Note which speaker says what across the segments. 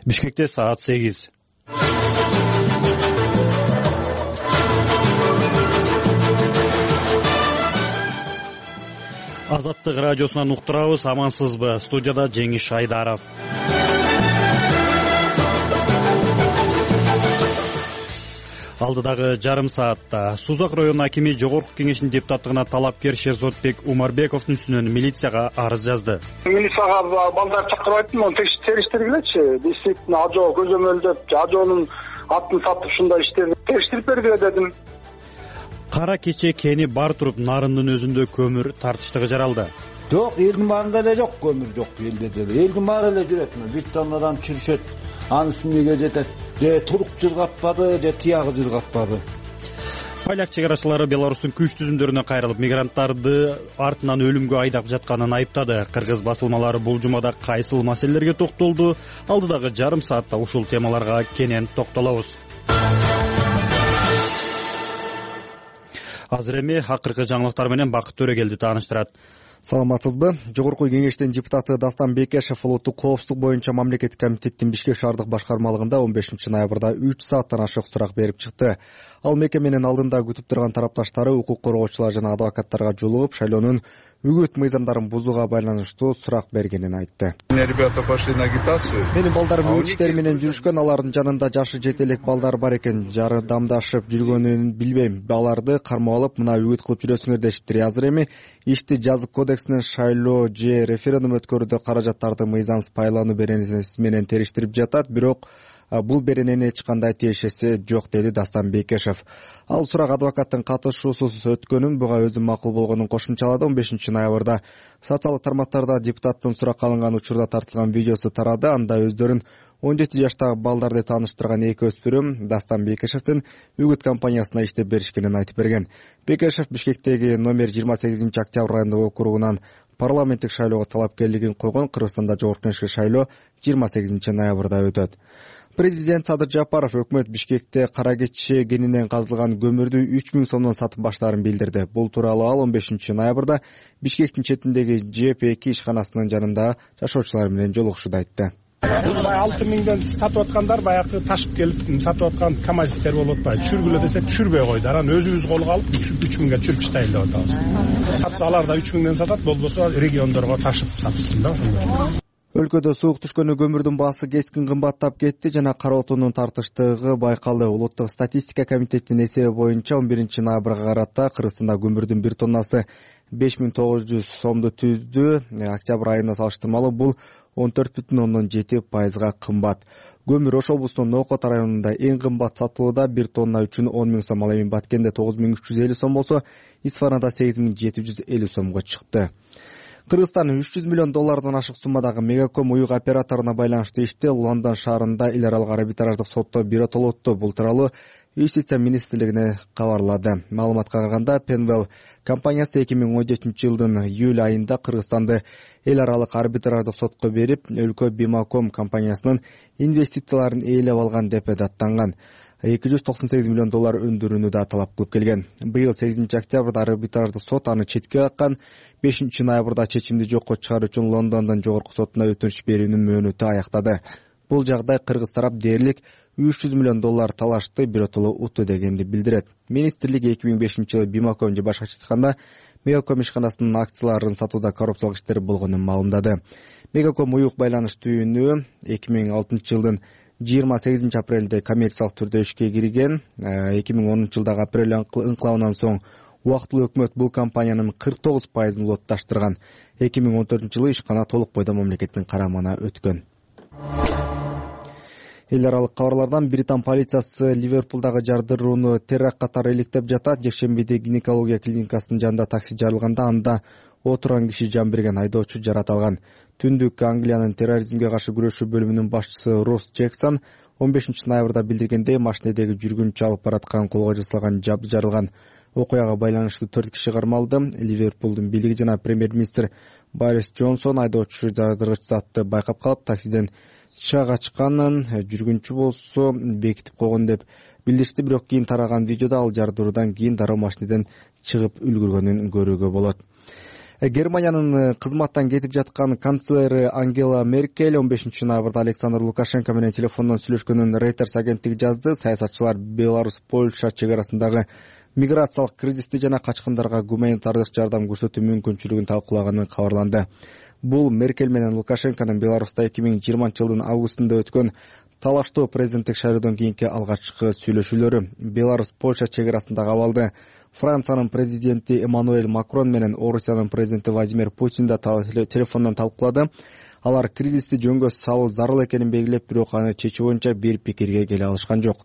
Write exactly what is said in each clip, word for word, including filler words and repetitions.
Speaker 1: Бишкекте саат сегиз. Азаттык радиосунан уктурабыз. Амансызбы? Студияда Жеңиш Айдаров. Алдыдагы жарым саатта Сузак районунун акими Жогорку Кеңештин депутаттыгына талапкер Шерзодбек Умарбековдун үстүнөн милицияга арыз жазды.
Speaker 2: Милицияга балдар чакырып айттым, териштиргилечи. Действительно, ажоо көзөмөлдөп, ажоонун атын сатып ушундай иштерди териштирип бергиле дедим.
Speaker 1: Кара кече кени бар туруп нарындын өзүндө көмүр тартыштыгы жаралды.
Speaker 3: Жок, элдин баарында эле жок, көмүр жок элде деле. Элдин баары эле жүрөт. Бир тоннадан чүрүшөт. Анын үстүнө жетет. Же турук жыргатпады, же тиягы жыргатпады.
Speaker 1: Поляк чек арачылары Беларустун күч түзүмдөрүнө кайрылып, мигранттарды артынан өлүмгө айдап жатканын айыптады. Кыргыз басылмалары бул жумада кайсыл маселелерге токтолду? Алдыдагы жарым саатта ушул темаларга кенен токтолобуз. Азыр эми акыркы жаңылыктар менен Бакыт Төрөгелди тааныштырат.
Speaker 4: Саламатсызбы? Жогорку Кеңештин депутаты Дастан Бекешев улуттук коопсуздук боюнча мамлекеттик комитеттин Бишкек шаардык башкармалыгында он бешинчи ноябрда үч сааттан ашык сурак берип чыкты. Ал мекеменин алдында күтүп турган тарапташтары укук коргоочулар жана адвокаттарга жолугуп, шайлоонун үгүт мыйзамдарын бузууга байланыштуу сурак бергенин айтты.
Speaker 5: Ребята пошли на агитацию.
Speaker 4: Менин балдарым үгүт иштери менен жүрүшкөн, алардын жанында жашы жете элек балдар бар экен. Жардамдашып жүргөнүн билбейм. Аларды кармап алып, мына үгүт кылып жүрөсүңөр дешиптир. Азыр эми ишти жазык кодексинин шайлоо же референдум өткөрүүдө каражаттарды мыйзамсыз пайлануу беренеси менен териштирип жатат, бирок бул берененин эч кандай тиешеси жок, деди Дастан Бекешев. Ал сурак адвокаттын катышуусуз өткөнүн, буга өзү макул болгонун кошумчалады. он бешинчи ноябрда социалдык тармактарда депутаттын суракка алынган учурда тартылган видеосу тарады. Анда өздөрүн он жети жаштагы балдарды тааныштырган эки өспүрүм Дастан Бекешевдин үгүт компаниясына иштеп беришкенин айтып берген. Бекешев Бишкектеги номер жыйырма сегизинчи октябрь райондук округунан парламенттик шайлоого талапкерлигин койгон. Кыргызстанда жогорку кеңешке шайлоо жыйырма сегизинчи ноябрда өтөт. Президент Садыр Жапаров өкмөт Бишкекте кара кече кенинен казылган көмүрдү үч миң сомдон сатып баштаарын билдирди. Бул тууралуу ал он бешинчи ноябрда Бишкектин четиндеги Ж П эки ишканасынын жанында жашоочулар менен жолугушууда айтты.
Speaker 6: алты миңден сатып аткандар баягы ташып келип сатып аткан камазистер болуп атпайбы. Түшүргүлө десек түшүрбөй койду. Анан өзүбүз колго алып үч миңге түшүрүп иштейли деп атабыз. Сатса алар да үч миңден сатат, болбосо региондорго ташып сатсын да.
Speaker 4: Өлкөдө суук түшкөнү көмүрдүн баасы кескин кымбаттап кетти жана кара отундун тартыштыгы байкалды. Улуттук статистика комитетинин эсеби боюнча он биринчи ноябрга карата Кыргызстанда көмүрдүн бир тоннасы беш миң тогуз жүз сомду түздү. Октябрь айына салыштырмалуу бул он төрт бүтүн ондон жети пайызга кымбат. Көмүр Ош облусунун Нокот районунда эң кымбат сатылууда, бир тонна үчүн он миң сом, ал эми Баткенде тогуз миң үч жүз элүү сом болсо, Исфанада сегиз миң жети жүз элүү сомго чыкты. Кыргызстан үч жүз миллион доллардан ашык суммадагы Мегаком уюк операторуна байланыштуу ишти Лондон шаарында эл аралык арбитраждык сотто биротолотту. Бул тууралуу Юстиция министрлигине кабарлады. Маалыматка караганда, Penwell компаниясы эки миң он жетинчи жылдын июль айында Кыргызстанды эл аралык арбитраждык сотко берип, өлкө Бимаком компаниясынын инвестицияларын ээлеп алган деп даттанган. эки жүз токсон сегиз миллион доллар өндүрүүнү да талап кылып келген. Быйыл сегизинчи октябрда арбитраждык сот аны четке каккан. бешинчи ноябрда чечимди жокко чыгаруу үчүн Лондондун жогорку сотуна өтүнүч берүүнүн мөөнөтү аяктады. Бул жагдай кыргыз тарап дээрлик үч жүз миллион доллар талашты, биротоло утту дегенди билдирет. Министрлик эки миң бешинчи жылы Бимаком же башкача айтканда Мегаком ишканасынын акцияларын сатууда коррупциялык иштер болгонун маалымдады. Мегаком уюк байланыш түйүнү эки миң алтынчы жылдын жыйырма сегизинчи апрелде коммерциялык түрдө ишке кирген. эки миң онунчу жылдагы апрель ыңкылабынан соң убактылуу өкмөт бул компаниянын кырк тогуз пайызын улутташтырган. эки миң он төртүнчү жылы ишкана толук бойдон мамлекеттин карамагына өткөн. Эл аралык кабарлардан Британ полициясы Ливерпулдагы жардырууну теракт катары иликтеп жатат. Жекшембиде гинекология клиникасынын жанында такси жарылганда анда отурган киши жан берген, айдоочу жарат алган. Түндүк Англиянын терроризмге каршы күрөшүү бөлүмүнүн башчысы Росс Джексон он бешинчи ноябрда билдиргендей, машинедеги жүргүнчү алып бараткан колго жасалган жабды жарылган. Окуяга байланыштуу төрт киши кармалды. Ливерпулдун бийлиги жана премьер-министр Борис Джонсон айдоочу жардыргыч затты байкап калып, таксиден чыга качканын, жүргүнчү болсо бекитип койгон деп билдиришти. Бирок кийин тараган видеодо ал жардыруудан кийин дароо машинеден чыгып үлгүргөнүн көрүүгө болот. Германиянын кызматтан кетип жаткан канцлери Ангела Меркель он бешинчи ноябрда Александр Лукашенко менен телефондон сүйлөшкөнүн Reuters агенттиги жазды. Саясатчылар Беларусь Польша чек арасындагы миграциялык кризисти жана качкындарга гуманитардык жардам көрсөтүү мүмкүнчүлүгүн талкуулаганы кабарланды. Бул Меркель менен Лукашенконун Беларуста эки миң жыйырманчы жылдын августунда өткөн талаштуу президенттик шайлоодон кийинки алгачкы сүйлөшүүлөрү. Беларусь Польша чек арасындагы абалды Франциянын президенти Эммануэль Макрон менен Орусиянын президенти Владимир Путин да телефондон талкуулады. Алар кризисти жөнгө салуу зарыл экенин белгилеп, бирок аны чечүү боюнча бир пикирге келе алышкан жок.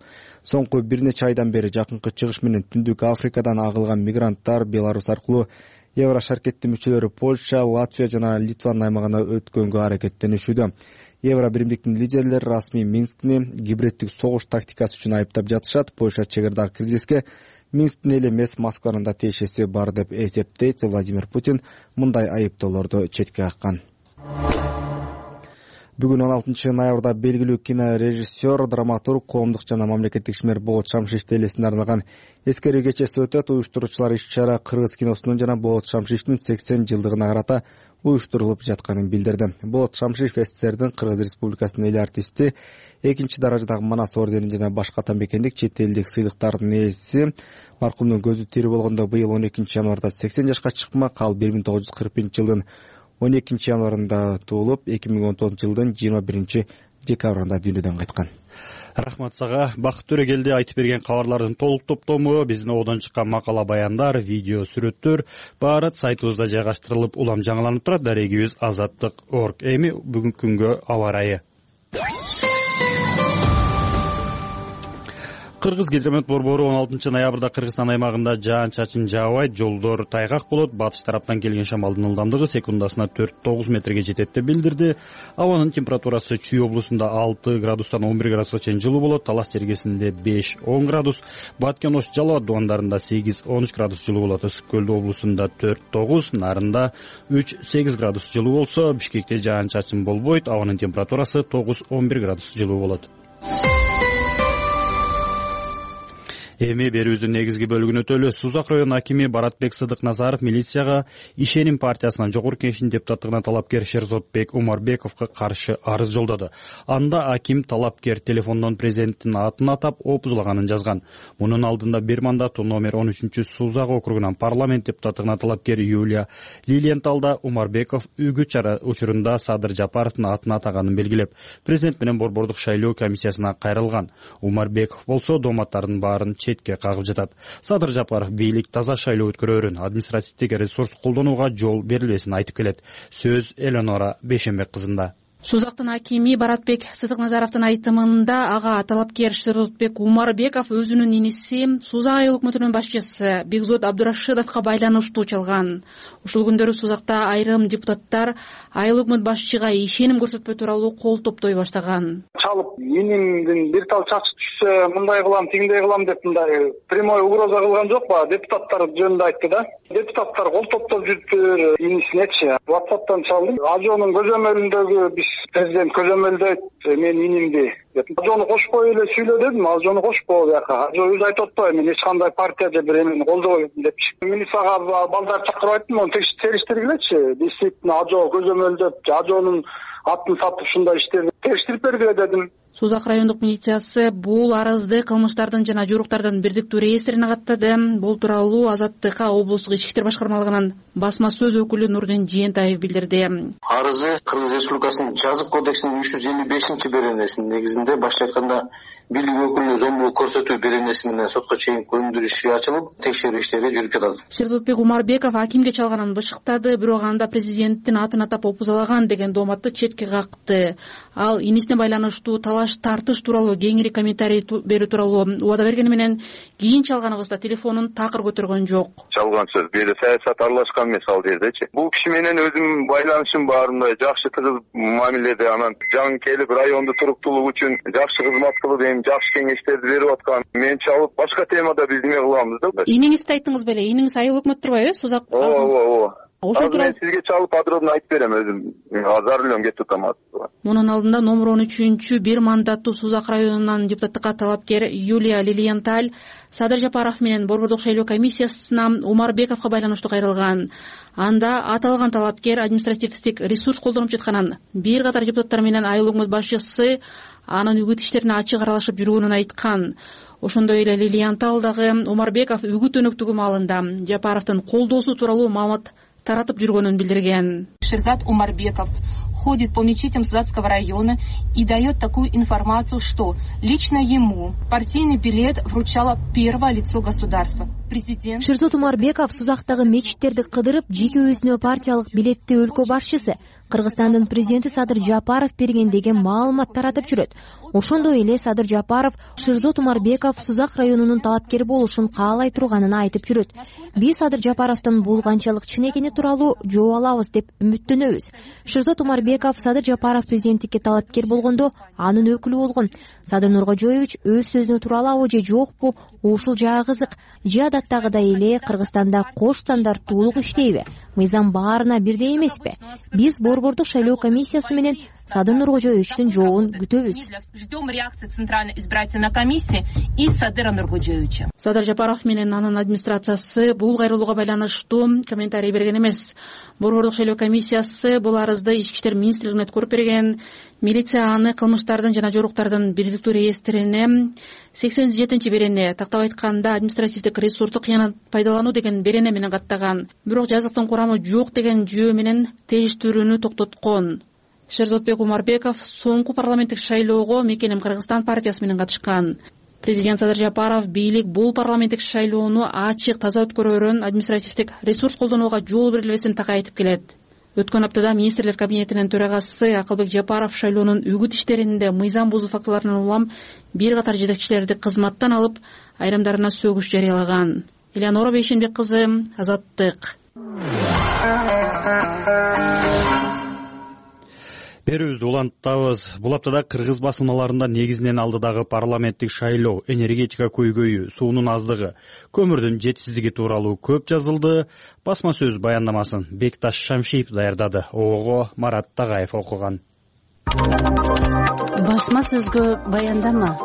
Speaker 4: Соңку бир нече айдан бери Жакынкы Чыгыш менен Түндүк Африкадан агылган мигранттар Беларусь аркылуу Еврошаркеттин мүчөлөрү Польша, Латвия жана Литванын аймагына өткөнгө аракеттенишүүдө. Евро биримдиктин лидерлери расмий Минскни гибриддик согуш тактикасы үчүн айыптап жатышат. Польша чегардагы кризиске Минсктин эле эмес, Москванын да тиешеси бар деп эсептейт. Владимир Путин мындай айыптоолорду четке каккан. Бүгүн он алтынчы ноябрда белгилүү кинорежиссер, драматург, коомдук жана мамлекеттик ишмер Болот Шамшиевдин элесине арналган эскерүү кечеси өтөт. Уюштуруучулар иш-чара кыргыз киносунун жана Болот Шамшиевдин сексен жылдыгына карата уюштурулуп жатканын билдирди. Болот Шамшиев СССРдин Кыргыз Республикасынын эл артисти, экинчи даражадагы Манас ордени жана башка атамекендик чет элдик сыйлыктардын ээси. Маркумдун көзү тирүү болгондо быйыл он экинчи январда сексен жашка чыкмак. Ал бир миң тогуз жүз кырк биринчи жылдын он экинчи январында туулуп, эки миң он тогузунчу жылдын жыйырма биринчи декабрында дүйнөдөн кайткан.
Speaker 1: Рахмат сага. Бакыт Төрөгелди айтып берген кабарлардын толук топтому, биздин одон чыккан макала баяндар, видео сүрөттөр баары сайтыбызда жайгаштырылып, улам жаңыланып турат. Дарегибиз азаттык точка орг. Эми бүгүнкү күнгө аба ырайы. Кыргыз гидромет борбору он алтынчы ноябрда Кыргызстан аймагында жаан-чачын жаабайт, жолдор тайгак болот. Батыш тараптан келген шамалдын ылдамдыгы секундасына төрт тогуз метрге жетет деп билдирди. Абанын температурасы Чүй облусунда алты градустан он бир градуска чейин жылуу болот. Талас жергесинде беш он градус, Баткен Ош Жалал абад дубандарында сегиз он үч градус жылуу болот. Ысык Көлдү облусунда төрт тогуз, Нарында үч сегиз градус жылуу болсо, Бишкекте жаан-чачын болбойт. Абанын температурасы тогуз он бир градус жылуу болот. Эми берүүбүздүн негизги бөлүгүнө өтөлү. Сузак район акими Баратбек Сыдыкназаров милицияга Ишеним партиясынын жогорку кеңешинин депутаттыгына талапкер Шерзотбек Умарбековго каршы арыз жолдоду. Анда аким талапкер телефондон президенттин атын атап опузулаганын жазган. Мунун алдында бир мандат номер он үчүнчү Сузак округунан парламент депутаттыгына талапкер Юлия Лилиенталда Умарбеков үгүт чара учурунда Садыр Жапаровдун атын атаганын белгилеп, президент менен борбордук шайлоо комиссиясына кайрылган. Умарбеков болсо дооматтардын баарын четке кагып жатат. Садыр Жапаров бийлик таза шайлоо өткөрөөрүн, административдик ресурс колдонууга жол берилбесин айтып келет. Сөз Элеонора Бешенбек кызында.
Speaker 7: Сузактын акими Баратбек Сыдыкназаровдун айтымында ага талапкер Шерзотбек Умарбеков өзүнүн иниси Сузак айыл өкмөтүнүн башчысы Бекзод Абдурашидовго байланыштуу чалган. Ушул күндөрү Сузакта айрым депутаттар айыл өкмөт башчыга ишеним көрсөтпөө тууралуу кол топтой баштаган.
Speaker 2: Чалып, инимдин бир тал чачы түшсө, мындай кылам, тигиндей кылам деп мындай прямой угроза кылган жокпу? Депутаттар жөнүндө айтты да. Депутаттар кол топтоп жүрүптүр, инисинечи. WhatsApp'тан чалдым. Ажонун көзөмөлүндөгү биз президент көзөмөлдөйт мен инимди деп. Ажону кошпой эле сүйлө дедим. Ажону кошпоо бияка. Ажо өзү айтып атпайбы, мен эч кандай партия же бир эмени колдобойм депчи. Милицияга балдар чакырып айттым, onu териштиргилечи. Действительно ажо көзөмөлдөп, ажонун атын сатып ушундай иштерди териштирип бергиле дедим.
Speaker 7: Сузак райондук милициясы бул арызды кылмыштардын жана жоруктардын бирдиктүү реестрине каттады. Бул тууралуу Азаттыкка облустук ички иштер башкармалыгынын басма сөз өкүлү Нурдин Жээнтаев билдирди.
Speaker 8: Арызы Кыргыз Республикасынын жазык кодексинин үч жүз элүү бешинчи беренесинин негизинде башка айтканда бийлик өкүлүнө зомбулук көрсөтүү беренеси менен сотко чейин көндүрүү иши ачылып, текшерүү иштери жүрүп жатат.
Speaker 7: Шерзотбек Умарбеков акимге чалганын бышыктады, бирок анда президенттин атын атап опузалаган деген дооматты четке какты. Ал инисине байланыштуу талаш тартыш тууралуу кеңири комментарий берүү тууралуу убада бергени менен кийин чалганыбызда телефонун такыр көтөргөн жок.
Speaker 5: Чалган сөз бир саясат аралашкан эмес ал жердечи. Бул киши менен өзүм байланышым бар, мындай жакшы тыгыз мамиледе, анан жаңы келип районду туруктуулук үчүн жакшы кызмат кылып, эми жакшы кеңештерди берип аткан. Мен чалып башка темада биз неме кылабыз да.
Speaker 7: Иниңизди айттыңыз беле? Иниңиз айыл өкмөт турбайбы? Сузак.
Speaker 5: Ооба, ооба.
Speaker 7: ошол
Speaker 5: тууралуу мен сизге чалып подробно айтып берем, өзүм азыр эле кетип атам.
Speaker 7: Мунун алдында номер он үчүнчү бир мандаттуу Сузак районунан депутаттыкка талапкер Юлия Лилиенталь Садыр Жапаров менен Борбордук шайлоо комиссиясына Умарбековго байланыштуу кайрылган. Анда аталган талапкер административдик ресурс колдонуп жатканын, бир катар депутаттар менен айыл өкмөт башчысы анын үгүт иштерине ачык аралашып жүргөнүн айткан. Ошондой эле Лилиенталь дагы Умарбеков үгүт өнөктүгү маалында Жапаровдун колдоосу тууралуу маалымат таратып жүргөнүн билдирген.
Speaker 9: Шерзат Умарбеков ходит по мечетям Сузакского района и дает такую информацию, что лично ему партийный билет вручало первое лицо государства. Президент
Speaker 10: Шерзат Умарбеков Сузактагы мечиттерди кыдырып, жеке өзүнө партиялык билетти өлкө башчысы Кыргызстандын президенти Садыр Жапаров берген деген маалымат таратып жүрөт. Ошондой эле Садыр Жапаров Шерзат Умарбеков Сузак районунун талапкери болушун каалай турганын айтып жүрөт. Биз Садыр Жапаровдун бул канчалык чын экени тууралуу жооп алабыз деп үмүттөнөбүз. Шерзат Умарбеков Садыр Жапаров президенттикке талапкер болгондо анын өкүлү болгон. Садыр Нуркожоевич өз сөзүнө тура алабы же жокпу, ушул жагы кызык. Же адаттагыдай эле Кыргызстанда кош стандарттуулук иштейби? Мыйзам баарына бирдей эмеспи? Биз Борбордук шайлоо комиссиясы менен Садыр Нуркожоевичтин жообун күтөбүз.
Speaker 9: Ждем реакции Центральной избирательной комиссии и Садыра Нуркожоевича.
Speaker 7: Садыр Жапаров менен анын администрациясы бул кайрылууга байланыштуу комментарий берген эмес. Борбордук шайлоо комиссиясы бул арызды Ички иштер министрлигине өткөрүп берген. Милиция аны кылмыштардын жана жоруктардын бирдиктүү реестрине сексен жетинчи берене, тактап айтканда административдик ресурсту кыянат пайдалануу деген берене менен каттаган. Бирок жазыктын курамы жок деген жүйө менен териштирүүнү токтоткон. Шерзотбек Умарбеков соңку парламенттик шайлоого Мекеним Кыргызстан партиясы менен катышкан. Президент Садыр Жапаров бийлик бул парламенттик шайлоону ачык, таза өткөрөрүн, административдик ресурс колдонууга жол берилбесин так айтып келет. Өткөн аптада министрлер кабинетинин төрагасы Акылбек Жапаров шайлоонун үгүт иштеринде мыйзам бузуу фактыларынан улам бир катар жетекчилерди кызматтан алып, айрымдарына сөгүш жарыялаган. Элеонора Бейшенбек кызы, Азаттык.
Speaker 1: Берүүбүздү улантабыз. Бул аптада кыргыз басылмаларында негизинен алдыдагы парламенттик шайлоо, энергетика көйгөйү, суунун аздыгы, көмүрдүн жетишсиздиги тууралуу көп жазылды. Басма сөз баяндамасын Бекташ Шамшиев даярдады. Ого Марат Тагаев окуган.
Speaker 11: Басма сөзгө баяндама.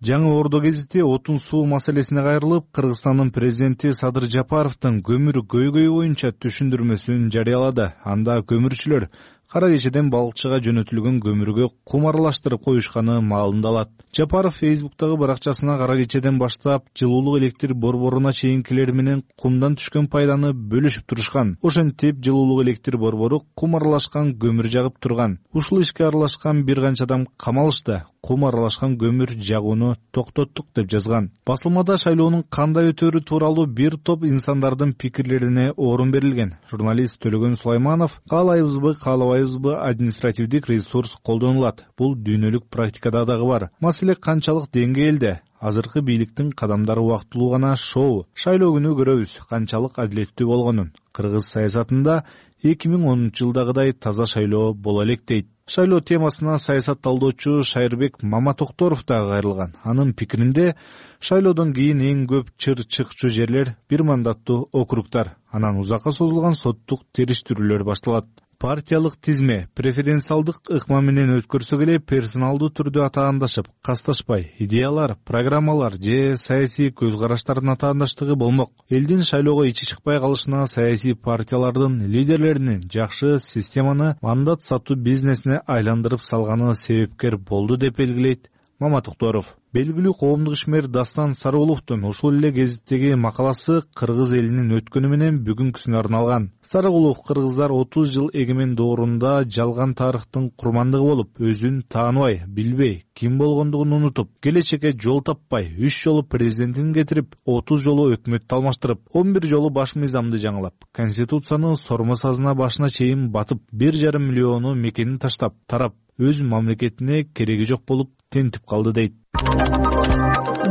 Speaker 12: Жаңы Ордо гезити отун суу маселесине кайрылып, Кыргызстандын президенти Садыр Жапаровдун көмүр көйгөйү боюнча түшүндүрмөсүн жарыялады. Анда көмүрчүлөр кара кечеден балыкчыга жөнөтүлгөн көмүргө кум аралаштырып коюшканы маалымдалат. Жапаров Фейсбуктагы баракчасына кара кечеден баштап жылуулук электр борборуна чейинкилер менен кумдан түшкөн пайданы бөлүшүп турушкан. Ошентип жылуулук электр борбору кум аралашкан көмүр жагып турган. Ушул ишке аралашкан бир канча адам камалышты. Кум аралашкан көмүр жагууну токтоттук деп жазган. Басылмада шайлоонун кандай өтөрү тууралуу бир топ инсандардын пикирлерине орун берилген. Журналист Төлөгөн Сулайманов каалайбызбы, каалабайбызбы административдик ресурс колдонулат. Бул дүйнөлүк практикада дагы бар. Маселе канчалык деңгээлде? Азыркы бийликтин кадамдары убактылуу гана шоу. Шайлоо күнү көрөбүз канчалык адилеттүү болгонун. Кыргыз саясатында эки миң онунчу жылдагыдай таза шайлоо боло элек дейт. Шайлоо темасына саясат талдоочу Шайырбек Маматокторов да кайрылган. Анын пикиринде шайлоодон кийин эң көп чыр чыкчу жерлер бир мандаттуу округтар. Анан узакка созулган соттук териштирүүлөр башталат. Партиялык тизме, преференциалдык ыкма менен өткөрсө эле персоналдуу түрдө атаандашып, касташпай, идеялар, программалар же саясий көз караштардын атаандаштыгы болмок. Элдин шайлоого ичи чыкпай калышына саясий партиялардын лидерлеринин жакшы системаны мандат сатуу бизнесине айландырып салганы себепкер болду деп белгилейт Маматокторов. Белгилүү коомдук ишмер Дастан Сарыгуловдун ушул эле гезиттеги макаласы кыргыз элинин өткөнү менен бүгүнкүсүнө арналган. Сарыгулов кыргыздар отуз жыл эгемен доорунда жалган тарыхтын курмандыгы болуп, өзүн тааныбай, билбей, ким болгондугун унутуп, келечекке жол таппай, үч жолу президентин кетирип, отуз жолу өкмөттү алмаштырып, он бир жолу баш мыйзамды жаңылап, конституцияны сормо сазына башына чейин батып, бир жарым миллиону мекенин таштап, тарап, өз мамлекетине кереги жок болуп тентип калды дейт.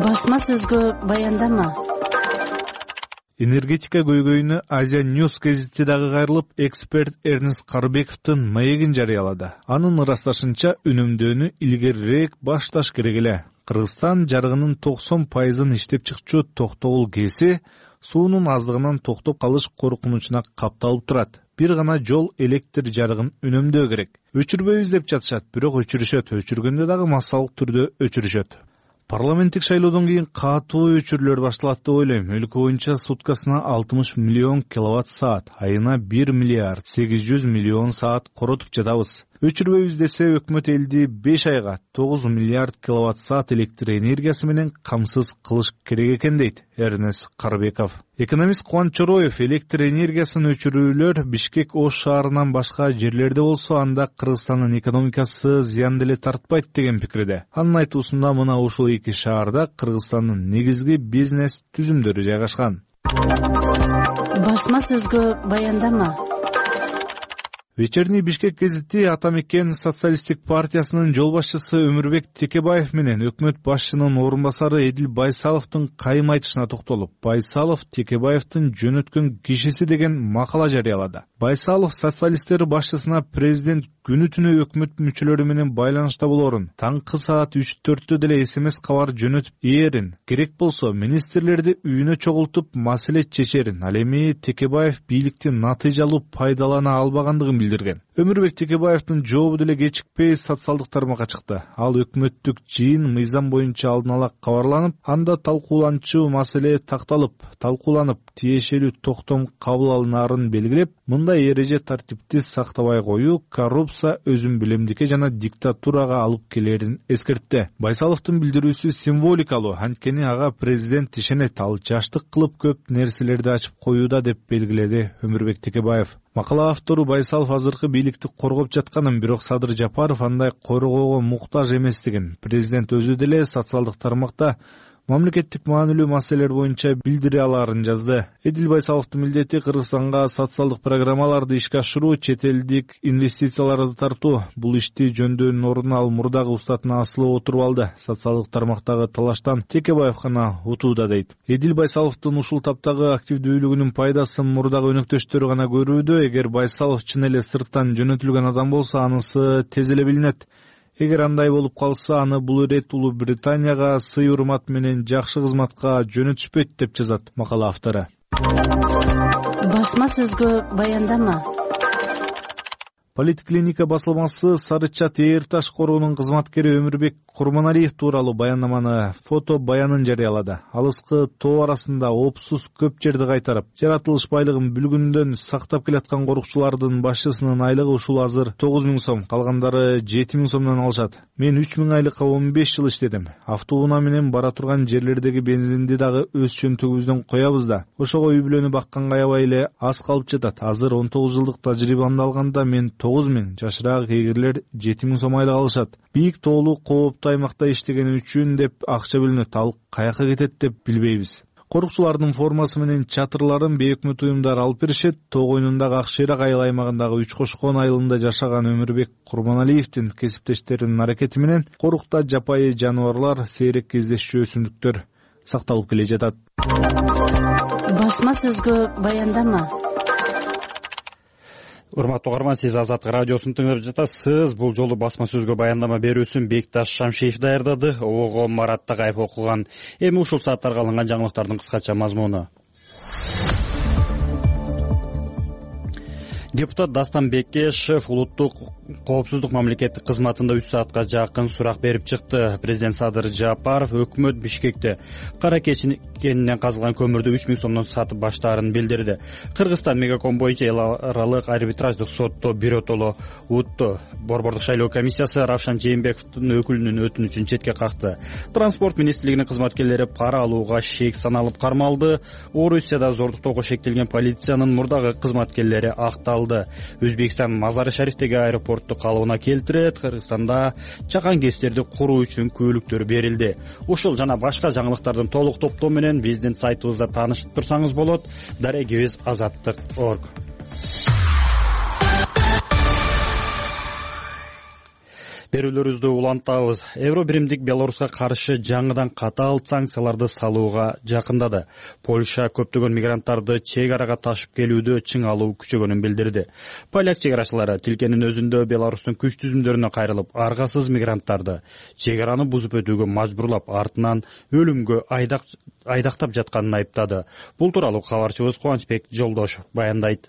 Speaker 11: Басма сөзгө баяндама.
Speaker 12: Энергетика көйгөйүнө Азия Ньюс гезити дагы кайрылып, эксперт Эрнест Карыбековдун маегин жарыялады. Анын ырасташынча үнөмдөөнү илгерирээк башташ керек эле. Кыргызстан жарыгынын токсон пайызын иштеп чыкчу Токтогул ГЭСи суунун аздыгынан токтоп калыш коркунучуна капталып турат. Бир гана жол электр жарыгын үнөмдөө керек. Өчүрбөйбүз деп жатышат, бирок өчүрүшөт, өчүргөндө дагы массалык түрдө өчүрүшөт. Парламенттик шайлоодон кийин катуу өчүрүүлөр башталат деп ойлойм. Өлкө боюнча суткасына алтымыш миллион киловатт саат, айына бир миллиард сегиз жүз миллион саат коротуп жатабыз. Өчүрбөйбүз десе өкмөт элди беш айга тогуз миллиард киловатт саат электр энергиясы менен камсыз кылыш керек экен дейт Эрнес Карбеков. Экономист Кубаныч Чороев электр энергиясын өчүрүүлөр Бишкек Ош шаарынан башка жерлерде болсо анда Кыргызстандын экономикасы зыян деле тартпайт деген пикирде. Анын айтуусунда мына ушул эки шаарда Кыргызстандын негизги бизнес түзүмдөрү жайгашкан.
Speaker 11: Басма сөзгө баяндама.
Speaker 12: Вечерний Бишкек гезити Ата Мекен социалисттик партиясынын жол башчысы Өмүрбек Текебаев менен өкмөт башчынын орун басары Эдил Байсаловдун кайым айтышына токтолуп, Байсалов Текебаевдин жөнөткөн кишиси деген макала жарыялады. Байсалов социалисттер башчысына президент күнү түнү өкмөт мүчөлөрү менен байланышта болорун, таңкы саат үч төрттө деле смс кабар жөнөтүп ээрин, керек болсо министрлерди үйүнө чогултуп маселе чечерин. Ал эми Текебаев бийликти натыйжалуу пайдалана албагандыгын билдирген. Өмүрбек Текебаевдин жообу деле кечикпей социалдык тармакка чыкты. Ал өкмөттүк жыйын мыйзам боюнча алдын ала кабарланып, анда талкууланчу маселе такталып, талкууланып, тиешелүү токтом кабыл алынаарын белгилеп, мындай эреже тартипти сактабай коюу коррупция, өзүн билемдикке жана диктатурага алып келерин эскертти. Байсаловдун билдирүүсү символикалуу, анткени ага президент ишенет, ал жаштык кылып көп нерселерди ачып коюуда деп белгиледи Өмүрбек Текебаев. Макала автору Байсалов азыркы бийликти коргоп жатканын, бирок Садыр Жапаров андай коргоого муктаж эместигин, президент өзү деле социалдык тармакта мамлекеттик маанилүү маселелер боюнча билдире алаарын жазды. Эдил Байсаловдун милдети Кыргызстанга социалдык программаларды ишке ашыруу, чет элдик инвестицияларды тартуу. Бул ишти жөндөөнүн ордуна ал мурдагы устатына асылып отуруп алды. Социалдык тармактагы талаштан Текебаев гана утууда дейт. Эдил Байсаловдун ушул таптагы активдүүлүгүнүн пайдасын мурдагы өнөктөштөрү гана көрүүдө. Эгер Байсалов чын эле сырттан жөнөтүлгөн адам болсо, анысы тез эле билинет. Эгер андай болуп калса, аны бул ирет Улуу Британияга сый урмат менен жакшы кызматка жөнөтүшпөйт деп жазат макала автору.
Speaker 11: Басма сөзгө баяндама.
Speaker 12: Политклиника басылмасы Сары Чат Эйр Таш корунун кызматкери Өмүрбек Курманалиев тууралуу баяндаманы, фото баянын жарыялады. Алыскы тоо арасында опсуз көп жерди кайтарып, жаратылыш байлыгын бүлгүндөн сактап келаткан корукчулардын башчысынын айлыгы ушул азыр тогуз миң сом, калгандары жети миң сомдон алышат. Мен үч миң айлыкка он беш жыл иштедим. Автоунаа менен бара турган жерлердеги бензинди дагы өз чөнтөгүбүздөн коябыз да. Ошого үй бүлөнү бакканга аябай эле аз калып жатат. Азыр он тогуз жылдык тажрыйбамды алганда мен тогуз миң, жашыраак эгерлер жети миң сом айлык алышат. Бийик тоолуу кооптуу аймакта иштегени үчүн деп акча бөлүнөт, ал каяка кетет деп билбейбиз. Корукчулардын формасы менен чатырларын бейөкмөт уюмдар алып беришет. Тоо койнундагы Акшейрак айыл аймагындагы Үч Кошкон айылында жашаган Өмүрбек Курманалиевдин кесиптештеринин аракети менен корукта жапайы жаныбарлар, сейрек кездешчү өсүмдүктөр сакталып келе жатат.
Speaker 11: Басма сөзгө баяндама.
Speaker 1: Урматтуу угарман, сиз Азаттык радиосун тыңдап жатасыз. Бул жолу басма сөзгө баяндама берүүсүн Бекташ Шамшиев даярдады, ого Марат Тагаев окуган. Эми ушул сааттарга алынган жаңылыктардын кыскача мазмуну. Депутат Дастан Бекешев улуттук коопсуздук мамлекеттик кызматында үч саатка жакын сурак берип чыкты. Президент Садыр Жапаров өкмөт Бишкекте кара кенинен казылган көмүрдү үч миң сомдон сатып баштаарын билдирди. Кыргызстан Мегаком боюнча эл аралык арбитраждык сотто биротоло утту. Борбордук шайлоо комиссиясы Равшан Жээнбековдун өкүлүнүн өтүнүчүн четке какты. Транспорт министрлигинин кызматкерлери пара алууга шек саналып кармалды. Орусияда зордуктоого шектелген полициянын мурдагы кызматкерлери акталды. Өзбекстан Мазары Шарифтеги аэропортту калыбына келтирет. Кыргызстанда чакан кестерди куруу үчүн күбөлүктөр берилди. Ушул жана башка жаңылыктардын толук топтому менен биздин сайтыбызда таанышып турсаңыз болот. дарегибиз азаттык точка орг. берүүлөрүбүздү улантабыз. Евро биримдик Беларуска каршы жаңыдан катаал санкцияларды салууга жакындады. Польша көптөгөн мигранттарды чек арага ташып келүүдө чың алуу күчөгөнүн билдирди. Поляк чек арачылары тилкенин өзүндө Беларустун күч түзүмдөрүнө кайрылып, аргасыз мигранттарды чек араны бузуп өтүүгө мажбурлап, артынан өлүмгө айдактап жатканын айыптады. Бул тууралуу кабарчыбыз Кубанычбек Жолдошов баяндайт.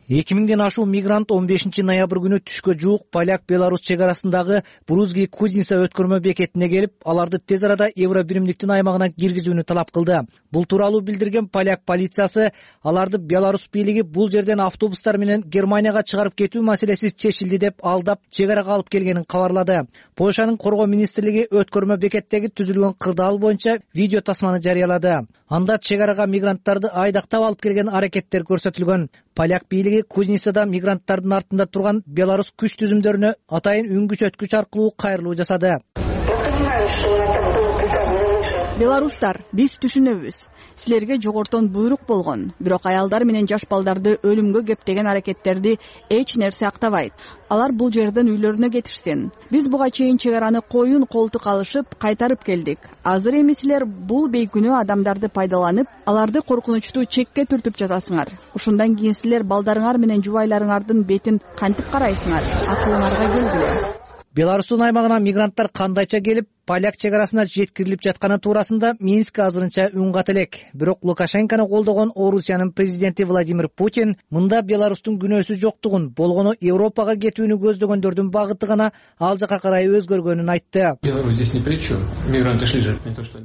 Speaker 13: эки миңден ашуу мигрант он бешинчи ноябрь күнү түшкө жуук Поляк-Беларусь чек арасындагы Брузги Кузница өткөрмө бекетине келип, аларды тез арада евро биримдиктин аймагына киргизүүнү талап кылды. Бул тууралуу билдирген поляк полициясы аларды Беларусь бийлиги бул жерден автобустар менен Германияга чыгарып кетүү маселеси чечилди деп алдап чек арага алып келгенин кабарлады. Польшанын коргоо министрлиги өткөрмө бекеттеги түзүлгөн кырдаал боюнча видео тасманы жарыялады. Анда чек арага мигранттарды айдактап алып келген аракеттер көрсөтүлгөн. Поляк бийлиги Кузницада мигранттардын артында турган Беларусь күч түзүмдөрүнө атайын үн күчөткүч аркылуу кайрылуу жасады.
Speaker 14: Беларустар, биз түшүнөбүз. Силерге жогортон буйрук болгон, бирок аялдар менен жаш балдарды өлүмгө кептеген аракеттерди эч нерсе актабайт. Алар бул жерден үйлөрүнө кетишсин. Биз буга чейин чек араны коюн колтук алышып, кайтарып келдик. Азыр эми силер бул бейкүнөө адамдарды пайдаланып, аларды коркунучтуу чекке түртүп жатасыңар. Ушундан кийин силер балдарыңар менен жубайларыңардын бетин кантип карайсыңар? Акылыңарга келгиле.
Speaker 13: Беларустун аймагына мигранттар кандайча келип, поляк чек арасына жеткирилип жатканы туурасында Минск азырынча үн кат элек. Бирок Лукашенкону колдогон Орусиянын президенти Владимир Путин мында Беларустун күнөөсү жоктугун, болгону Европага кетүүнү көздөгөндөрдүн багыты гана ал жака карай өзгөргөнүн айтты.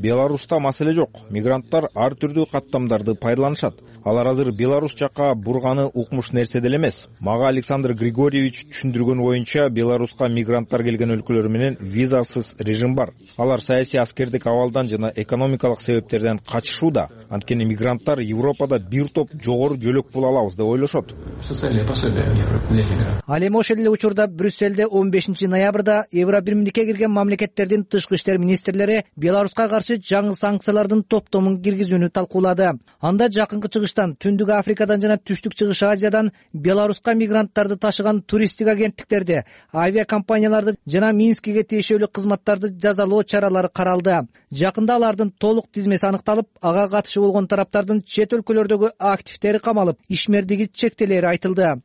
Speaker 15: Беларуста маселе жок. Мигранттар ар түрдүү каттамдарды пайдаланышат. Алар азыр Беларусь жака бурганы укмуш нерсе деле эмес. Мага Александр Григорьевич түшүндүргөн боюнча Беларуска мигранттар келген өлкөлөр менен визасыз режим бар. Алар саясий аскердик абалдан жана экономикалык себептерден качышууда. Анткени мигранттар Европада бир топ жогору жөлөк пул алабыз деп ойлошот.
Speaker 13: Ал эми ошол эле учурда Брюсселде он бешинчи ноябрда евро биримдикке кирген мамлекеттердин тышкы иштер министрлери Беларуска каршы жаңы санкциялардын топтомун киргизүүнү талкуулады. Анда жакынкы чыгыштан, Түндүк Африкадан жана Түштүк Чыгыш Азиядан Беларуска мигранттарды ташыган туристтик агенттиктерди, авиакомпанияларды жана Минскиге тиешелүү кызматтарды жазалоо чаралары каралды. Жакында алардын толук тизмеси аныкталып, ага катышы болгон тараптардын чет өлкөлөрдөгү активдери камалып, ишмердиги чектелери айтылды.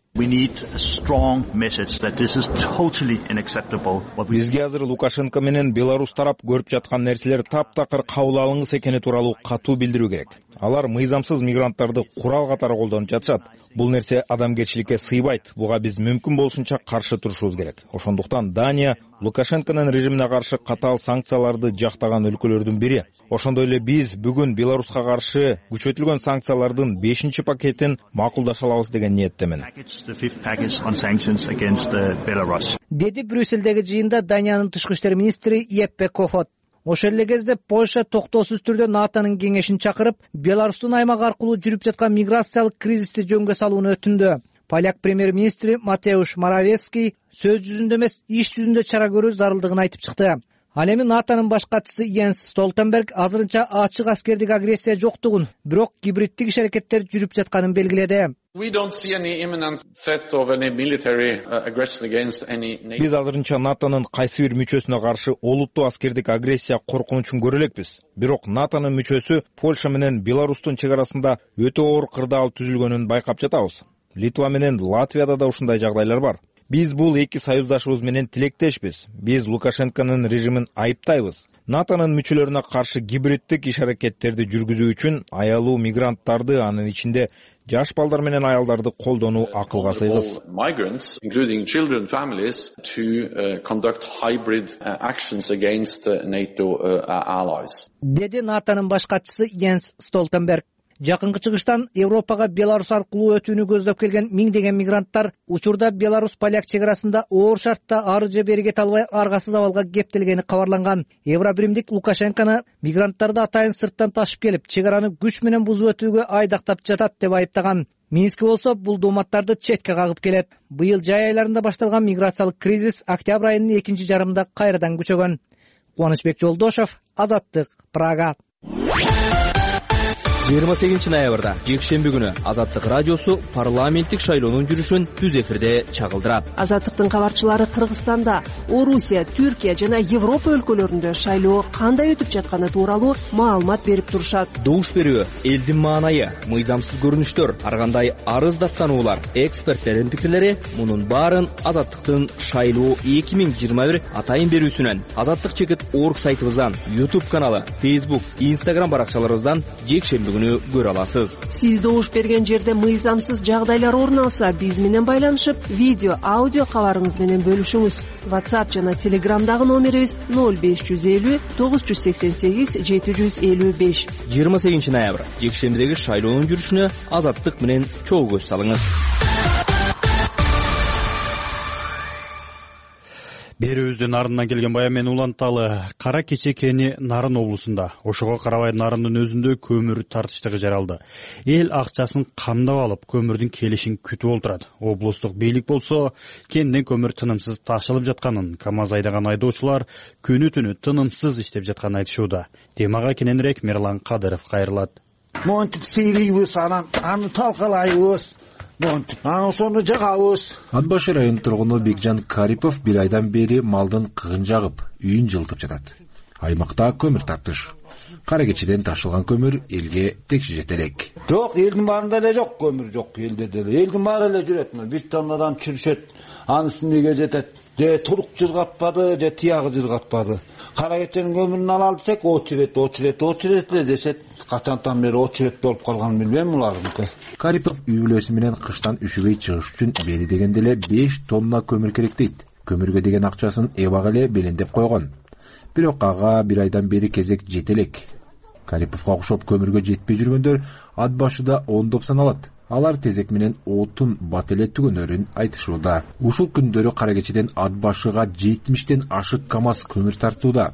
Speaker 15: Бизге азыр Лукашенко менен Беларусь тарап көрүп жаткан нерселер таптакыр кабыл алынгыс экени тууралуу катуу билдирүү керек. Алар мыйзамсыз мигранттарды курал катары колдонуп жатышат. Бул нерсе адамгерчиликке сыйбайт. Буга биз мүмкүн болушунча каршы турушубуз керек. Ошондуктан Дания Лукашенконун режимине каршы катаал санкцияларды жактаган өлкөлөрдүн бири. Ошондой эле биз бүгүн Беларуска каршы күчөтүлгөн санкциялардын бешинчи пакетин макулдаша алабыз деген ниеттемин.
Speaker 13: Деди Брюсселдеги жыйында Даниянын тышкы иштер министри Еппе Кофот. Ошол эле кезде Польша токтоосуз түрдө НАТОнун кеңешин чакырып, Беларустун аймак аркылуу жүрүп жаткан миграциялык кризисти жөнгө салууну өтүндү. Поляк премьер-министри Матеуш Моравецкий сөз жүзүндө эмес, иш жүзүндө чара көрүү зарылдыгын айтып чыкты. Ал эми НАТОнун баш катчысы Йенс Столтенберг азырынча ачык аскердик агрессия жоктугун, бирок гибриддик иш-аракеттер жүрүп жатканын белгиледи.
Speaker 15: Биз азырынча НАТОнун кайсы бир мүчөсүнө каршы олуттуу аскердик агрессия коркунучун көрө элекпиз. Бирок НАТОнун мүчөсү Польша менен Беларустун чек арасында өтө оор кырдаал түзүлгөнүн байкап жатабыз. Литва менен Латвияда да ушундай жагдайлар бар. Биз бул эки союздашыбыз менен тилектешпиз. Биз Лукашенконун режимин айыптайбыз. НАТОнун мүчөлөрүнө каршы гибриддик иш-аракеттерди жүргүзүү үчүн аялуу мигранттарды, анын ичинде жаш балдар менен аялдарды колдонуу акылга сыйгыс.
Speaker 13: Деди НАТОнун баш катчысы Йенс Столтенберг. Жакынкы чыгыштан Европага Беларусь аркылуу өтүүнү көздөп келген миңдеген мигранттар учурда Беларусь-Поляк чек арасында оор шартта ары же бери кете албай аргасыз абалга кептелгени кабарланган. Евро биримдик Лукашенкону мигранттарды атайын сырттан ташып келип, чек араны күч менен бузуп өтүүгө айдактап жатат деп айыптаган. Минск болсо бул дооматтарды четке кагып келет. Быйыл жай айларында башталган миграциялык кризис октябрь айынын экинчи жарымында кайрадан күчөгөн. Кубанычбек Жолдошов, Азаттык, Прага.
Speaker 16: жыйырма сегизинчи ноябрда жекшемби күнү Азаттык радиосу парламенттик шайлоонун жүрүшүн түз эфирде чагылдырат.
Speaker 17: Азаттыктын кабарчылары Кыргызстанда, Орусия, Түркия жана Европа өлкөлөрүндө шайлоо кандай өтүп жатканы тууралуу маалымат берип турушат.
Speaker 16: Добуш берүү, элдин маанайы, мыйзамсыз көрүнүштөр, ар кандай арыз даттануулар, эксперттердин пикирлери — мунун баарын Азаттыктын шайлоо эки миң жыйырма бир атайын берүүсүнөн, Азаттык чекит орг сайтыбыздан, YouTube каналы, Facebook, Instagram баракчаларыбыздан жекшемби күнү көрө аласыз.
Speaker 17: Сиз добуш берген жерде мыйзамсыз жагдайлар орун алса, биз менен байланышып, видео, аудио кабарыңыз менен бөлүшүңүз. WhatsApp жана Telegramдагы номерибиз ноль беш жүз элүү тогуз жүз сексен сегиз жети жүз элүү беш.
Speaker 16: жыйырма сегизинчи ноябрь жекшембидеги шайлоонун жүрүшүнө Азаттык менен чогуу көз салыңыз.
Speaker 1: Берүүбүздүн ардынан келген баян менен уланталы. Кара Кечекени Нарын облусунда, ошого карабай Нарындын өзүндө көмүр тартыштыгы жаралды. Эл акчасын камдап алып, көмүрдүн келишин күтүп отурат. Облустук бийлик болсо, кенден көмүр тынымсыз ташылып жатканын, КамАЗ айдаган айдоочулар күнү түнү тынымсыз иштеп жатканын айтышууда. Темага кененирээк Мирлан Кадыров кайрылат.
Speaker 3: Монтип сейлейбиз, анан аны талкалайбыз. Монтип, аны ошону жагабыз.
Speaker 18: Ат башы районунун тургуну Бекжан Карипов бир айдан бери малдын кыгын жагып, үйүн жылытып жатат. Аймакта көмүр тартыш. Кара Кечеден ташылган көмүр элге текши жете элек.
Speaker 3: Жок, элдин баарында эле жок көмүр, жок элде деле. Элдин баары эле жүрөт. Бир тоннадан чүрүшөт. Анысы эмнеге жетет? Же турук жыргатпады, же тиягы жыргатпады. Кара Кеченин көмүрүн ала десек, очерет, очерет, очерет эле дешет. Качантан бери очерет болуп калганын билбейм булардыкы.
Speaker 18: Карипов үй бүлөсү менен кыштан үшүбөй чыгыш үчүн бери дегенде эле беш тонна көмүр керек дейт. Көмүргө деген акчасын эбак эле белендеп койгон. Бирок ага бир айдан бери кезек жете элек. Кариповго окшоп көмүргө жетпей жүргөндөр ат башыда ондоп саналат. Алар тезек менен отун бат эле түгөнөрүн айтышууда. Ушул күндөрү Кара Кечеден ат башыга жетимиштен ашык КамАЗ көмүр тартууда.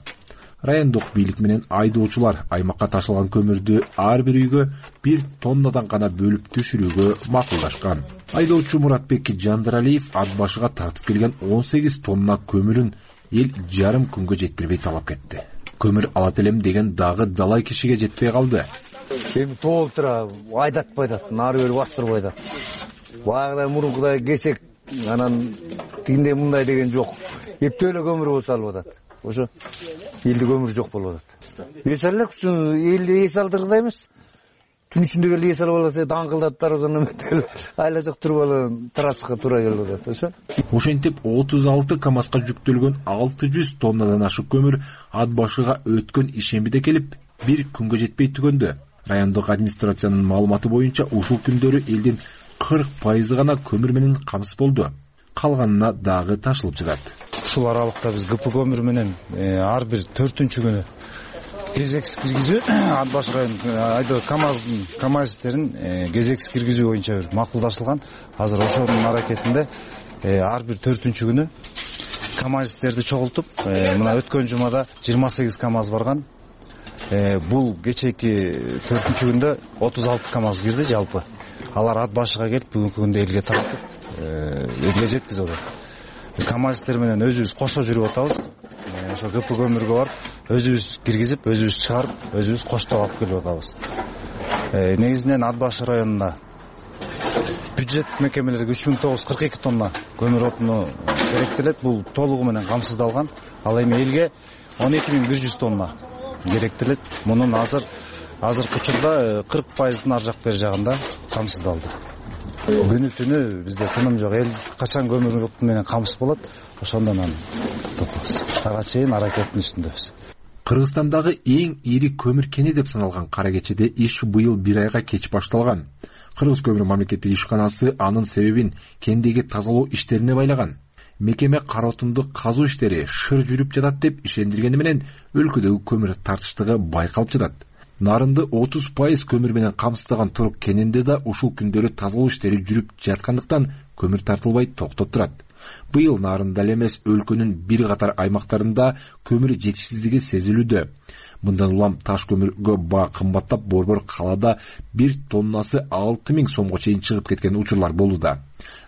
Speaker 18: Райондук бийлик менен айдоочулар аймакка ташылган көмүрдү ар бир үйгө бир тоннадан гана бөлүп түшүрүүгө макулдашкан. Айдоочу Муратбек Жандаралиев ат башыга тартып келген он сегиз тонна көмүрүн эл жарым күнгө жеткирбей талап кетти. Көмүр алат элем деген дагы далай кишиге жетпей калды.
Speaker 19: Эми тоолуп тура айдатпай атат, нары бери бастырбай атат. Баягыдай мурункудай кесек, анан тигиндей мындай деген жок. Эптөө эле көмүр болсо алып атат. Ошо элде көмүр жок болуп атат. Эс алек үчүн элде эс алдыргыдай эмес. Түн ичинде келип эс алып алса даңгылдап тарабынан өтөлүп айлажак туруп алып трассага туура келип атат, ошо.
Speaker 18: Ошентип отуз алты КамАЗга жүктөлгөн алты жүз тоннадан ашык көмүр ат башыга өткөн ишембиде келип, бир күнгө жетпей түгөндө. Райондук администрациянын маалыматы боюнча ушул күндөрү элдин кырк пайызы гана көмүр менен камсыз болду. Калганына дагы ташылып жатат.
Speaker 20: Ушул аралыкта биз ГП көмүр менен ар бир төртүнчү күнү кезексиз киргизүү ат башы район айдоо КамАЗдын КамАЗистерин кезексиз киргизүү боюнча бир макулдашылган. Азыр ошонун аракетинде ар бир төртүнчү күнү КамАЗистерди чогултуп, мына өткөн жумада жыйырма сегиз КамАЗ барган. Бул кечээки төртүнчү күндө отуз алты КамАЗ кирди жалпы. Алар ат башыга келип, бүгүнкү күндө элге тартып, элге жеткизип атат. КамАЗистер менен өзүбүз кошо жүрүп атабыз. Ошо ГП көмүргө барып, өзүбүз киргизип, өзүбүз чыгарып, өзүбүз коштоп алып келип атабыз. Негизинен ат башы районуна бюджеттик мекемелерге үч миң тогуз жүз кырк эки тонна көмүр отуну керектелет. Бул толугу менен камсыздалган. Ал эми элге он эки миң бир жүз тонна керектелет. Мунун азыр азыркы учурда кырк пайыздын ар жак бери жагында камсыздалды. Күнү түнү бизде тыным жок. Эл качан көмүр менен камсыз болот, ошондон аны тотобуз. Ага чейин аракеттин үстүндөбүз.
Speaker 18: Кыргызстандагы эң ири көмүр кени деп саналган Кара Кечеде иш быйыл бир айга кеч башталган. Кыргыз көмүр мамлекеттик ишканасы анын себебин кендеги тазалоо иштерине байлаган. Мекеме кара отунду казуу иштери шыр жүрүп жатат деп ишендиргени менен өлкөдөгү көмүр тартыштыгы байкалып жатат. Нарынды отуз пайыз көмүр менен камсыздаган Турук кенинде да ушул күндөрү тазалоо иштери жүрүп жаткандыктан көмүр тартылбай токтоп турат. Быйыл Нарында эле эмес өлкөнүн бир катар аймактарында көмүр жетишсиздиги сезилүүдө. Мындан улам таш көмүргө баа кымбаттап, борбор калаада бир тоннасы алты миң сомго чейин чыгып кеткен учурлар болууда.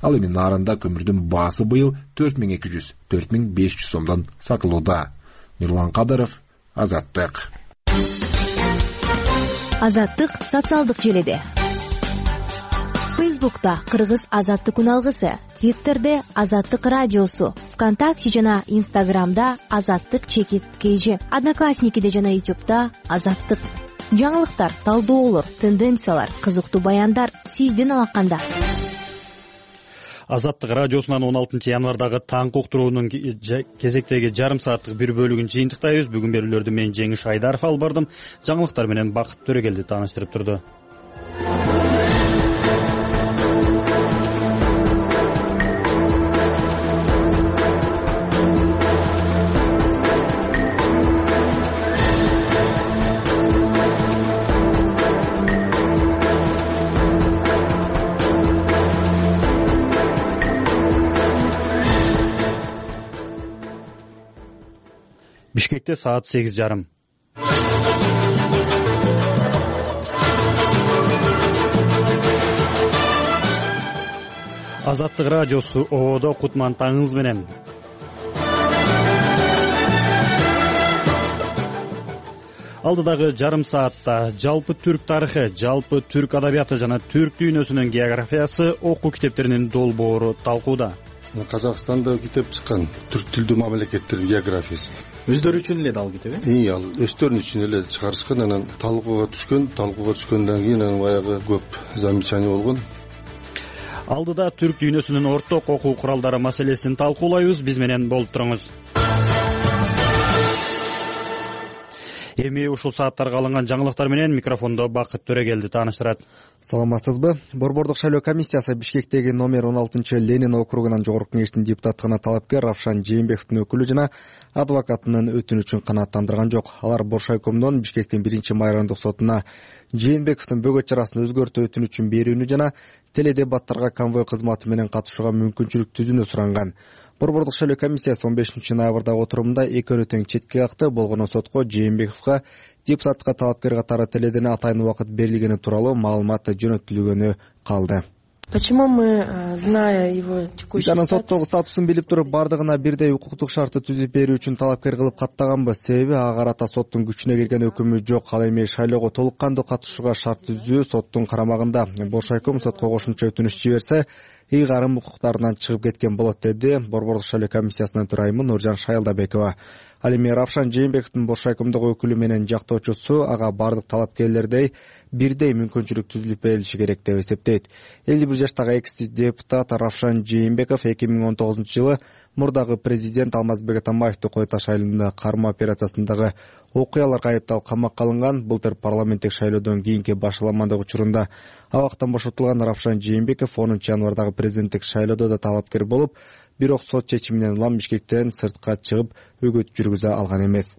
Speaker 18: Ал эми Нарында көмүрдүн баасы быйыл төрт миң эки жүз — төрт миң беш жүз сомдон сатылууда. Мирлан Кадыров, Азаттык.
Speaker 10: Азаттык социалдык желиде. Фейсбукта Кыргыз Азаттык күн алгысы, Твиттерде Азаттык радиосу, ВКонтакте жана Инстаграмда Азаттык чекит kg, Одноклассникиде жана Ютубда Азаттык. Жаңылыктар, талдоолор, тенденциялар, кызыктуу баяндар сиздин алаканда.
Speaker 1: Азаттык радиосунан он алтынчы январдагы таңкы уктуруунун кезектеги жарым сааттык бир бөлүгүн жыйынтыктайбыз. Бүгүн берүүлөрдү мен Жеңиш Айдаров алып бардым. Жаңылыктар менен Бакыт Төрөгелди тааныштырып турду. Бишкекте саат сегиз жарым. Азаттык радиосу ободо кутман таңыңыз менен. Алдыдагы жарым саатта жалпы түрк тарыхы, жалпы түрк адабияты жана түрк дүйнөсүнүн географиясы окуу китептеринин долбоору талкууда.
Speaker 21: Казакстанда китеп чыккан, түрк тилдүү мамлекеттердин географиясы.
Speaker 22: Өздөрү үчүн эле ал китеби?
Speaker 21: Ии, ал өздөрү үчүн эле чыгарышкан, анан талкууга түшкөн, талкууга түшкөндөн кийин анан баягы көп замечание болгон.
Speaker 1: Алдыда түрк дүйнөсүнүн орток окуу куралдары маселесин талкуулайбыз. Биз менен болуп туруңуз. Эми ушул сааттарга алынган жаңылыктар менен микрофондо Бакыт Төрөгелди тааныштырат.
Speaker 4: Саламатсызбы? Борбордук шайлоо комиссиясы Бишкектеги номер он алтынчы Ленин округунан жогорку кеңештин депутаттыгына талапкер Равшан Жээнбековдун өкүлү жана адвокатынын өтүнүчүн канааттандырган жок. Алар Боршайкомдон Бишкектин биринчи майрандык сотуна Жээнбековдун бөгөт чарасын өзгөртүү өтүнүчүн берүүнү жана теледебаттарга конвой кызматы менен катышууга мүмкүнчүлүк түзүүнү суранган. Борбордук шайлоо комиссиясы он бешинчи ноябрдагы отурумунда экөөнү тең четке какты. Болгону сотко Жээнбековго депутаттыкка талапкер катары теледен атайын убакыт берилгени тууралуу маалымат жөнөтүлгөнү калды.
Speaker 23: Почему мы, зная его текущий
Speaker 4: статус, соттогу статусун билип туруп, бардыгына бирдей укуктук шартты түзүп берүү үчүн талапкер кылып каттаганбыз. Себеби ага карата соттун күчүнө кирген өкүмү жок. Ал эми шайлоого толук кандуу катышууга шарт түзүү соттун карамагында. Боршайком сотко кошумча өтүнүч жиберсе, ыйгарым укуктарынан чыгып кеткен болот, деди Борбордук шайлоо комиссиясынын төрайымы Нуржан Шайылдабекова. Ал эми Равшан Жээнбековдун Боршайкомдогу өкүлү менен жактоочусу ага бардык талапкерлердей бирдей мүмкүнчүлүк түзүлүп берилиши керек деп эсептейт. элүү бир жаштагы экс депутат Равшан Жээнбеков эки миң он тогузунчу жылы мурдагы президент Алмазбек Атамбаевди Кой Таш айылында кармоо операциясындагы окуяларга айыпталып камакка алынган. Былтыр парламенттик шайлоодон кийинки башаламандык учурунда абактан бошотулган Равшан Жээнбеков онунчу январдагы президенттик шайлоодо да талапкер болуп, бирок сот чечиминен улам Бишкектен сыртка чыгып өгөт жүргүзө алган эмес.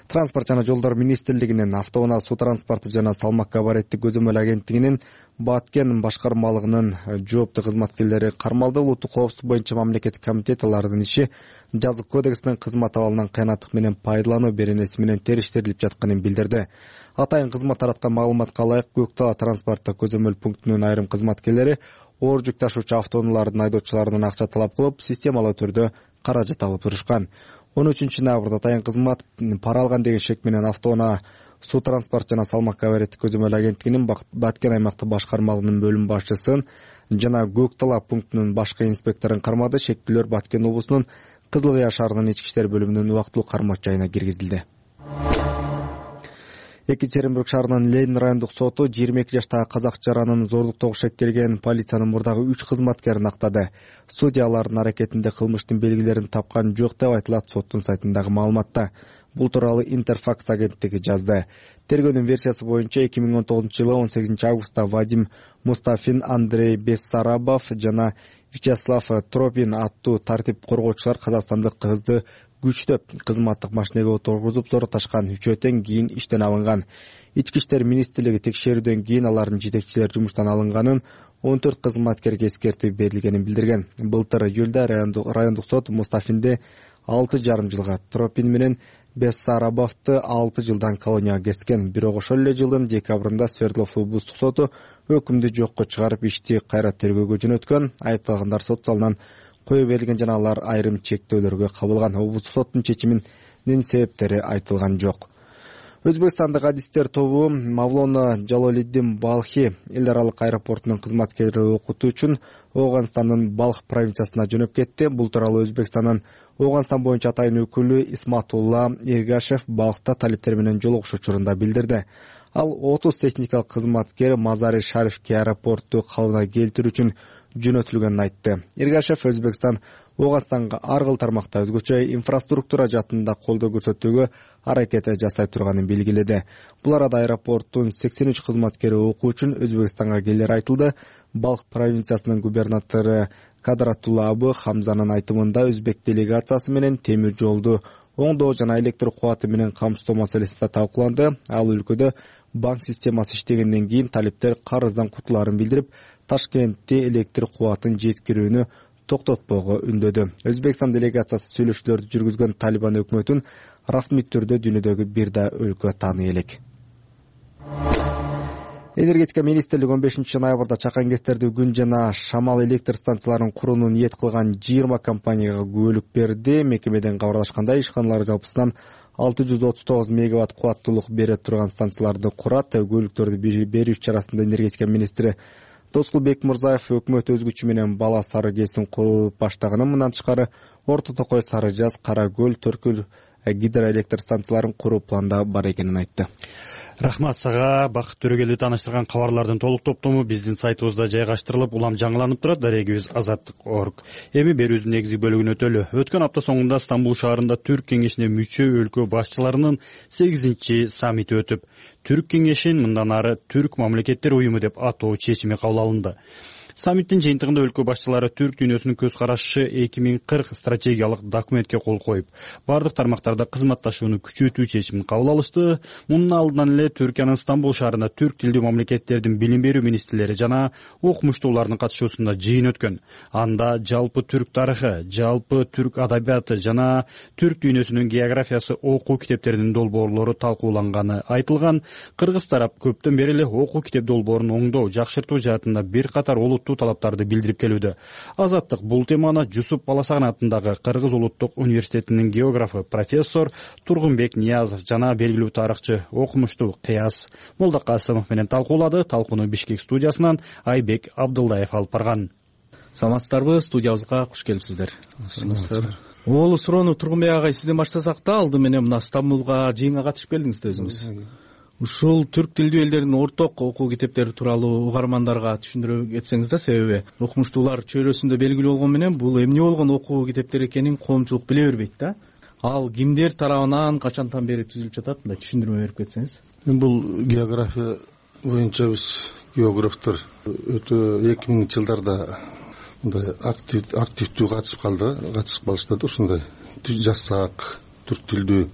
Speaker 4: Транспорт жана жолдор министрлигинин, автоунаа суу транспорту жана салмак габариттик көзөмөл агенттигинин Баткен башкармалыгынын жооптуу кызматкерлери кармалды. Улуттук коопсуздук боюнча мамлекеттик комитет алардын иши жазык кодексинин кызмат абалынан кыянаттык менен пайдалануу беренеси менен териштирилип жатканын билдирди. Атайын кызмат тараткан маалыматка ылайык, Көк Дала транспорттук көзөмөл пунктунун айрым кызматкерлери оор жүк ташуучу автоунаалардын айдоочуларынан акча талап кылып, системалуу түрдө каражат алып турушкан. он үчүнчү ноябрда атайын кызмат пара алган деген шек менен автоунаа суу транспорт жана салмак габариттик көзөмөл агенттигинин Баткен аймактык башкармалыгынын бөлүм башчысын жана Көк Дала пунктунун башкы инспекторун кармады. Шектүүлөр Баткен облусунун Кызыл Кыя шаарынын ички иштер бөлүмүнүн убактылуу кармоо жайына киргизилди. Екатеринбург шаарынын Ленин райондук соту жыйырма эки жаштагы казак жаранын зордуктоого шектелген полициянын мурдагы үч кызматкерин актады. Судья алардын аракетинде кылмыштын белгилерин тапкан жок деп айтылат соттун сайтындагы маалыматта. Бул тууралуу Интерфакс агенттиги жазды. Тергөөнүн версиясы боюнча эки миң он тогузунчу жылы он сегизинчи августта Вадим Мустафин, Андрей Бессарабов жана Вячеслав Тропин аттуу тартип коргоочулар казакстандык кызды күчтөп кызматтык машинеге отургузуп зоротошкан. Үчөө тең кийин иштен алынган. Ички иштер министрлиги текшерүүдөн кийин алардын жетекчилери жумуштан алынганын, он төрт кызматкерге эскертүү берилгенин билдирген. Былтыр июлда райондук сот Мустафинди алты жарым жылга, Тропин менен Бессарабовду алты жылдан колонияга кескен. Бирок ошол эле жылдын декабрында Свердлов облустук соту өкүмдү жокко чыгарып ишти кайра тергөөгө жөнөткөн. Айыпталгандар сот залынан кое берилген жана алар айрым чектөөлөргө кабылган. Облустук соттун чечиминин себептери айтылган жок. Өзбекстандык адистер тобу Мавлона Жалолиддин Балхи эл аралык аэропортунун кызматкери окутуу үчүн Ооганстандын Балх провинциясына жөнөп кетти. Бул тууралуу Өзбекстандын Ооганстан боюнча атайын өкүлү Исматулла Эргашев Балхта талиптер менен жолугуш учурунда билдирди. Ал отуз техникалык кызматкер Мазари Шарифке аэропортту калыбына келтирүү үчүн жөнөтүлгөнүн айтты. Эргашев Өзбекстан Ооганстанга ар кыл тармакта өзгөчө инфраструктура жаатында колдоо көрсөтүүгө аракет жасай турганын белгиледи. Бул арада аэропорттун сексен үч кызматкери окуу үчүн Өзбекстанга келери айтылды. Балх провинциясынын губернатору Кадратулла Абы Хамзанын айтымында өзбек делегациясы менен темир жолду оңдоо жана электр кубаты менен камсыздоо маселеси да талкууланды. Ал өлкөдө банк системасы иштегенден кийин талиптер карыздан кутулаарын билдирип, Ташкентте электр кубатын жеткирүүнү токтотпоого үндөдү. Өзбекстан делегациясы сүйлөшүүлөрдү жүргүзгөн Талибан өкмөтүн расмий түрдө дүйнөдөгү бир да өлкө тааный элек. Энергетика министрлиги он бешинчи ноябрда чакан кестердүү күн жана шамал электр станцияларын курууну ниет кылган жыйырма компанияга күбөлүк берди. Мекемеден кабарлашкандай, ишканалар жалпысынан алты жүз отуз тогуз мегаватт кубаттуулук бере турган станцияларды курат. Күбөлүктөрдү берүү чарасында энергетика министри Тоскулбек Мурзаев өкмөт өз күчү менен Бала Сары КЭСин куруп баштаганын, мындан тышкары Орто Токой, Сары Жаз, Кара Көл, Төркүл гидроэлектр станцияларын куруу планда бар экенин айтты.
Speaker 1: Рахмат сага. Бакыт Төрөгелди тааныштырган кабарлардын толук топтому биздин сайтыбызда жайгаштырылып, улам жаңыланып турат. Дарегибиз азаттык точка орг. Эми берүүбүздүн негизги бөлүгүнө өтөлү. Өткөн апта соңунда Стамбул шаарында Түрк кеңешине мүчө өлкө башчыларынын сегизинчи саммити өтүп, Түрк кеңешин мындан ары Түрк мамлекеттер уюму деп атоо чечими кабыл алынды. Саммиттин жыйынтыгында өлкө башчылары түрк дүйнөсүнүн көз карашы эки миң кырк стратегиялык документке кол коюп, бардык тармактарда кызматташууну күчөтүү чечимин кабыл алышты. Мунун алдынан эле Түркиянын Стамбул шаарында түрк тилдүү мамлекеттердин билим берүү министрлери жана окумуштуулардын катышуусунда жыйын өткөн. Анда жалпы түрк тарыхы, жалпы түрк адабияты жана түрк дүйнөсүнүн географиясы окуу китептеринин долбоорлору талкууланганы айтылган. Кыргыз тарап көптөн бери эле окуу китеп долбоорун оңдоо, жакшыртуу жаатында бир катар талаптарды билдирип келүүдө. Азаттык бул теманы Жусуп Баласаган атындагы Кыргыз улуттук университетинин географы профессор Тургунбек Ниязов жана белгилүү тарыхчы, окумуштуу Кыяс Молдокасымов менен талкуулады. Талкууну Бишкек студиясынан Айбек Абдылдаев алып барган.
Speaker 22: Саламатсыздарбы? Студиябызга куш келипсиздер. Оолу суроону Тургунбек агай сизден баштасак да, алды менен мына Стамбулга жыйынга катышып келдиңиз да өзүңүз. Ушул түрк тилдүү элдердин орток окуу китептери тууралуу угармандарга түшүндүрө кетсеңиз да, себеби окумуштуулар чөйрөсүндө белгилүү болгон менен бул эмне болгон окуу китептери экенин коомчулук биле бербейт да. Ал кимдер тарабынан качантан бери түзүлүп жатат, мындай түшүндүрмө берип кетсеңиз.
Speaker 21: Бул география боюнча биз географтар өтө эки миңинчи жылдарда мындай активдүү катышып калды, катышып калышты да, ушундай жасак түрк тилдүү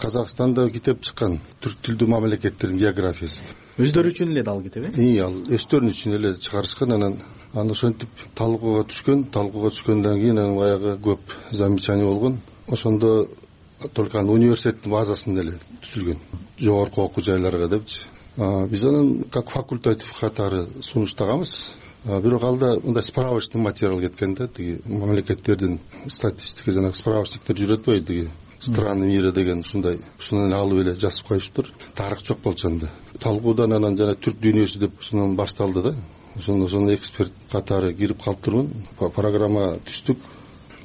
Speaker 21: Казакстанда китеп чыккан, түрк тилдүү мамлекеттердин географиясы.
Speaker 22: Өздөрү үчүн эле дал китеп, э?
Speaker 21: И, ал өздөрү үчүн эле чыгарышкан. Анан аны ошентип талкууга түшкөн, талкууга түшкөндөн кийин анан баягы көп замечание болгон. Ошондо только аны университеттин базасында эле түзүлгөн, жогорку окуу жайларга депчи. Биз анан как факультатив катары сунуштаганбыз. Бирок алда мындай справочный материал кеткен да, тиги мамлекеттердин статистика жана справочниктер жүрөт бой, тиги страны мира деген ушундай, ушунан алып эле жазып коюштур. Тарых жок болчу анда. Талкуудан анан жана түрк дүйнөсү деп ушунан башталды да. Ошондо ошондо эксперт катары кирип калыптырмын. Программа түздүк.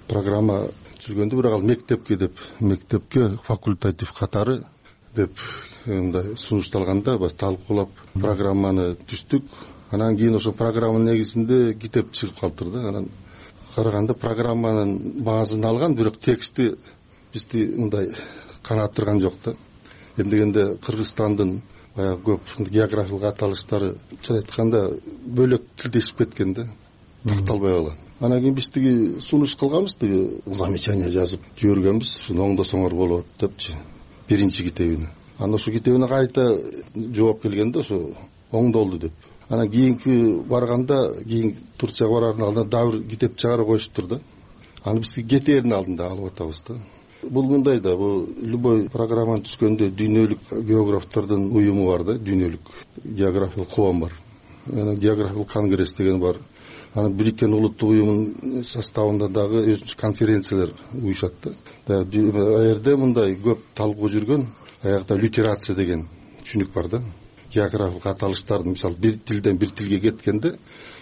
Speaker 21: Программа түзүлгөндө бирок ал мектепке деп, мектепке факультатив катары деп мындай сунушталганда баш талкуулап программаны түздүк. Анан кийин ошо программанын негизинде китеп чыгып калыптыр да. Анан караганда программанын баазын алган, бирок тексти бизди мындай канааттырган жок да. Эмдегенде Кыргызстандын баягы көп географиялык аталыштары чын айтканда бөлөк тилдешип кеткен да, такталбай калган. Анан кийин биз тиги сунуш кылганбыз, тиги замечание жазып жибергенбиз, ушуну оңдосоңор болот депчи, биринчи китебине. Анан ошо китебине кайта жооп келгенде ошо оңдолду деп. Анан кийинки барганда, кийин Турцияга барардын алдында дагы бир китеп чыгарып коюштур да. Аны биз кетээрдин алдында алып атабыз да. Бул мындай да, бул любой программаны түзгөндө дүйнөлүк географтардын уюму бар да, дүйнөлүк географиялык коом бар. Анан географиялык конгресс деген бар. Анан Бириккен улуттук уюмунун составында дагы өзүнчө конференциялар уюшат да. Ал жерде мындай көп талкуу жүргөн. аягда лютерация деген түшүнүк бар да. Географиялык аталыштардын мисалы бир тилден бир тилге кеткенде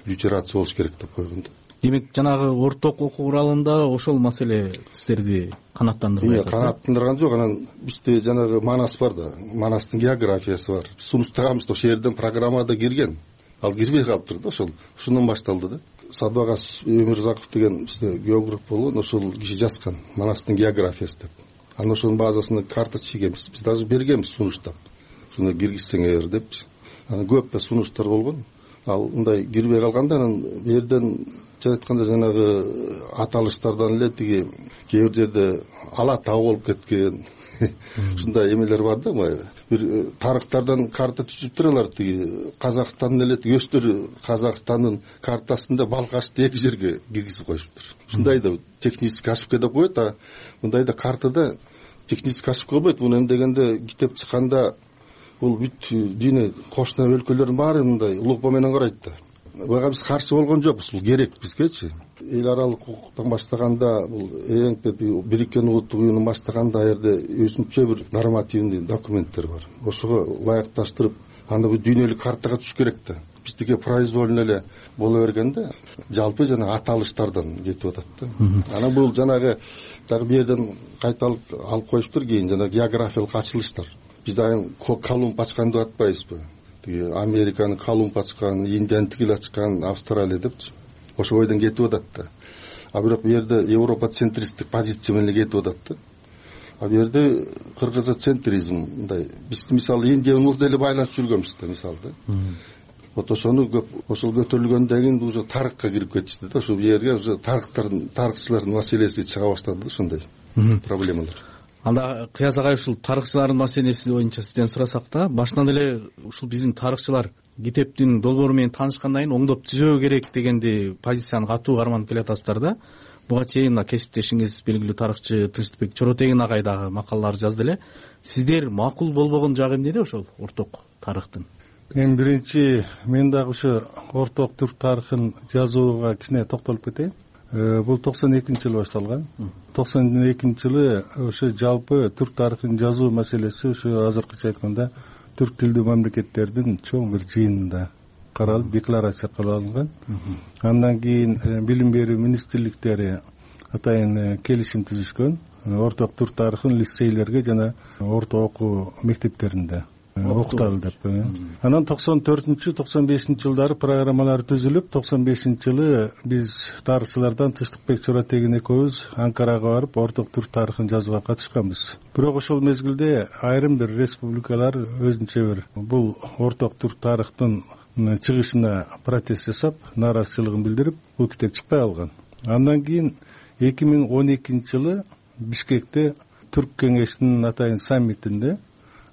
Speaker 21: лютерация болуш керек деп койгон да.
Speaker 22: Демек жанагы орток окуу куралында ошол маселе сиздерди канааттандырбай атат.
Speaker 21: Канааттандырган жок. Анан бизде жанагы Манас бар да, Манастын географиясы бар. Сунуштаганбыз, ошол жерден программада кирген. Ал кирбей калыптыр да, ошол ушундан башталды да. Садыбагас Өмүрзаков деген бизде географ болгон, ошол киши жазган Манастын географиясы деп. Анан ошонун базасына карта чигенбиз. Биз даже бергенбиз сунуштап. Шуну киргизсеңер депчи. Анан көп да сунуштар болгон. Ал мындай кирбей калганда анан бу жерден айтканда жанагы аталыштардан эле тиги кээ бир жерде ала таа болуп кеткен ушундай эмелер бар да. Бир тарыхтардан карта түзүп туралар, тиги Казакстандын эле тиги өстөрү Казакстандын картасында Балкашты эки жерге киргизип коюшуптур. Ушундай да технический ошибка деп коет, а мындай да картада технический ошибка болбойт. Муну эми дегенде китеп чыкканда бул бүт дүйнө кошуна өлкөлөрдүн баары мындай лупа менен карайт да. Буга биз каршы болгон жокпуз, бул керек бизгечи. Эл аралык укуктан баштаганда бул эң Бириккен Улуттук уюмун баштаганда ал жерде өзүнчө бир нормативный документтер бар. Ошого ылайыкташтырып, анда бул дүйнөлүк картага түшүш керек да. Биздики произвольно эле боло бергенде жалпы жана аталыштардан кетип атат да. Анан бул жанагы дагы бу жерден кайталып алып коюштур, кийин жана географиялык ачылыштар. Биз айым Колумб ачкан деп атпайбызбы? Американы Колумб ачкан, Индияны тигил ачкан, Австралия депчи. Ошол бойдон кетип атат да. А бирок бу жерде Европа центристик позиция менен кетип атат да. А бу жерде кыргызча центризм мындай. Биз мисалы Индия менен деле байланып жүргөнбүз да, мисалы да. Вот ошону көп ошол көтөрүлгөндөн кийин уже тарыхка кирип кетишти да. Ошол жерге уже тарыхтардын, тарыхчылардын маселеси чыга баштады, ошондой проблемалар.
Speaker 22: Анда Кыяз агай, ушул тарыхчылардын маселеси боюнча сизден сурасак да, башынан эле ушул биздин тарыхчылар китептин долбоору менен таанышкандан кийин оңдоп түзөө керек дегенди позицияны катуу карманып келатасыздар да. Буга чейин мына кесиптешиңиз белгилүү тарыхчы Тынчтыкбек Чоротегин агай дагы макалалар жазды эле. Сиздер макул болбогон жагы эмнеде ошол орток тарыхтын?
Speaker 2: Эң биринчи мен дагы ошо орток түрк тарыхын жазууга кичине токтолуп кетейин. Бул токсон экинчи жылы башталган. токсон экинчи жылы ошо жалпы түрк тарыхын жазуу маселеси ошо азыркыча айтканда түрк тилдүү мамлекеттердин чоң бир жыйынында каралып, декларация кабыл алынган. Андан кийин билим берүү министрликтери атайын келишим түзүшкөн. Орток түрк тарыхын лицейлерге жана орто окуу мектептеринде окуталы деп. Анан токсон төртүнчү токсон бешинчи жылдары программалар түзүлүп, токсон бешинчи жылы биз тарыхчылардан Тынчтыкбек Чоротегин экөөбүз Анкарага барып орток түрк тарыхын жазууга катышканбыз. Бирок ошол мезгилде айрым бир республикалар өзүнчө бир бул орток түрк тарыхтын чыгышына протест жасап, нааразычылыгын билдирип, бул китеп чыкпай калган. Андан кийин эки миң он экинчи жылы Бишкекте түрк кеңешинин атайын саммитинде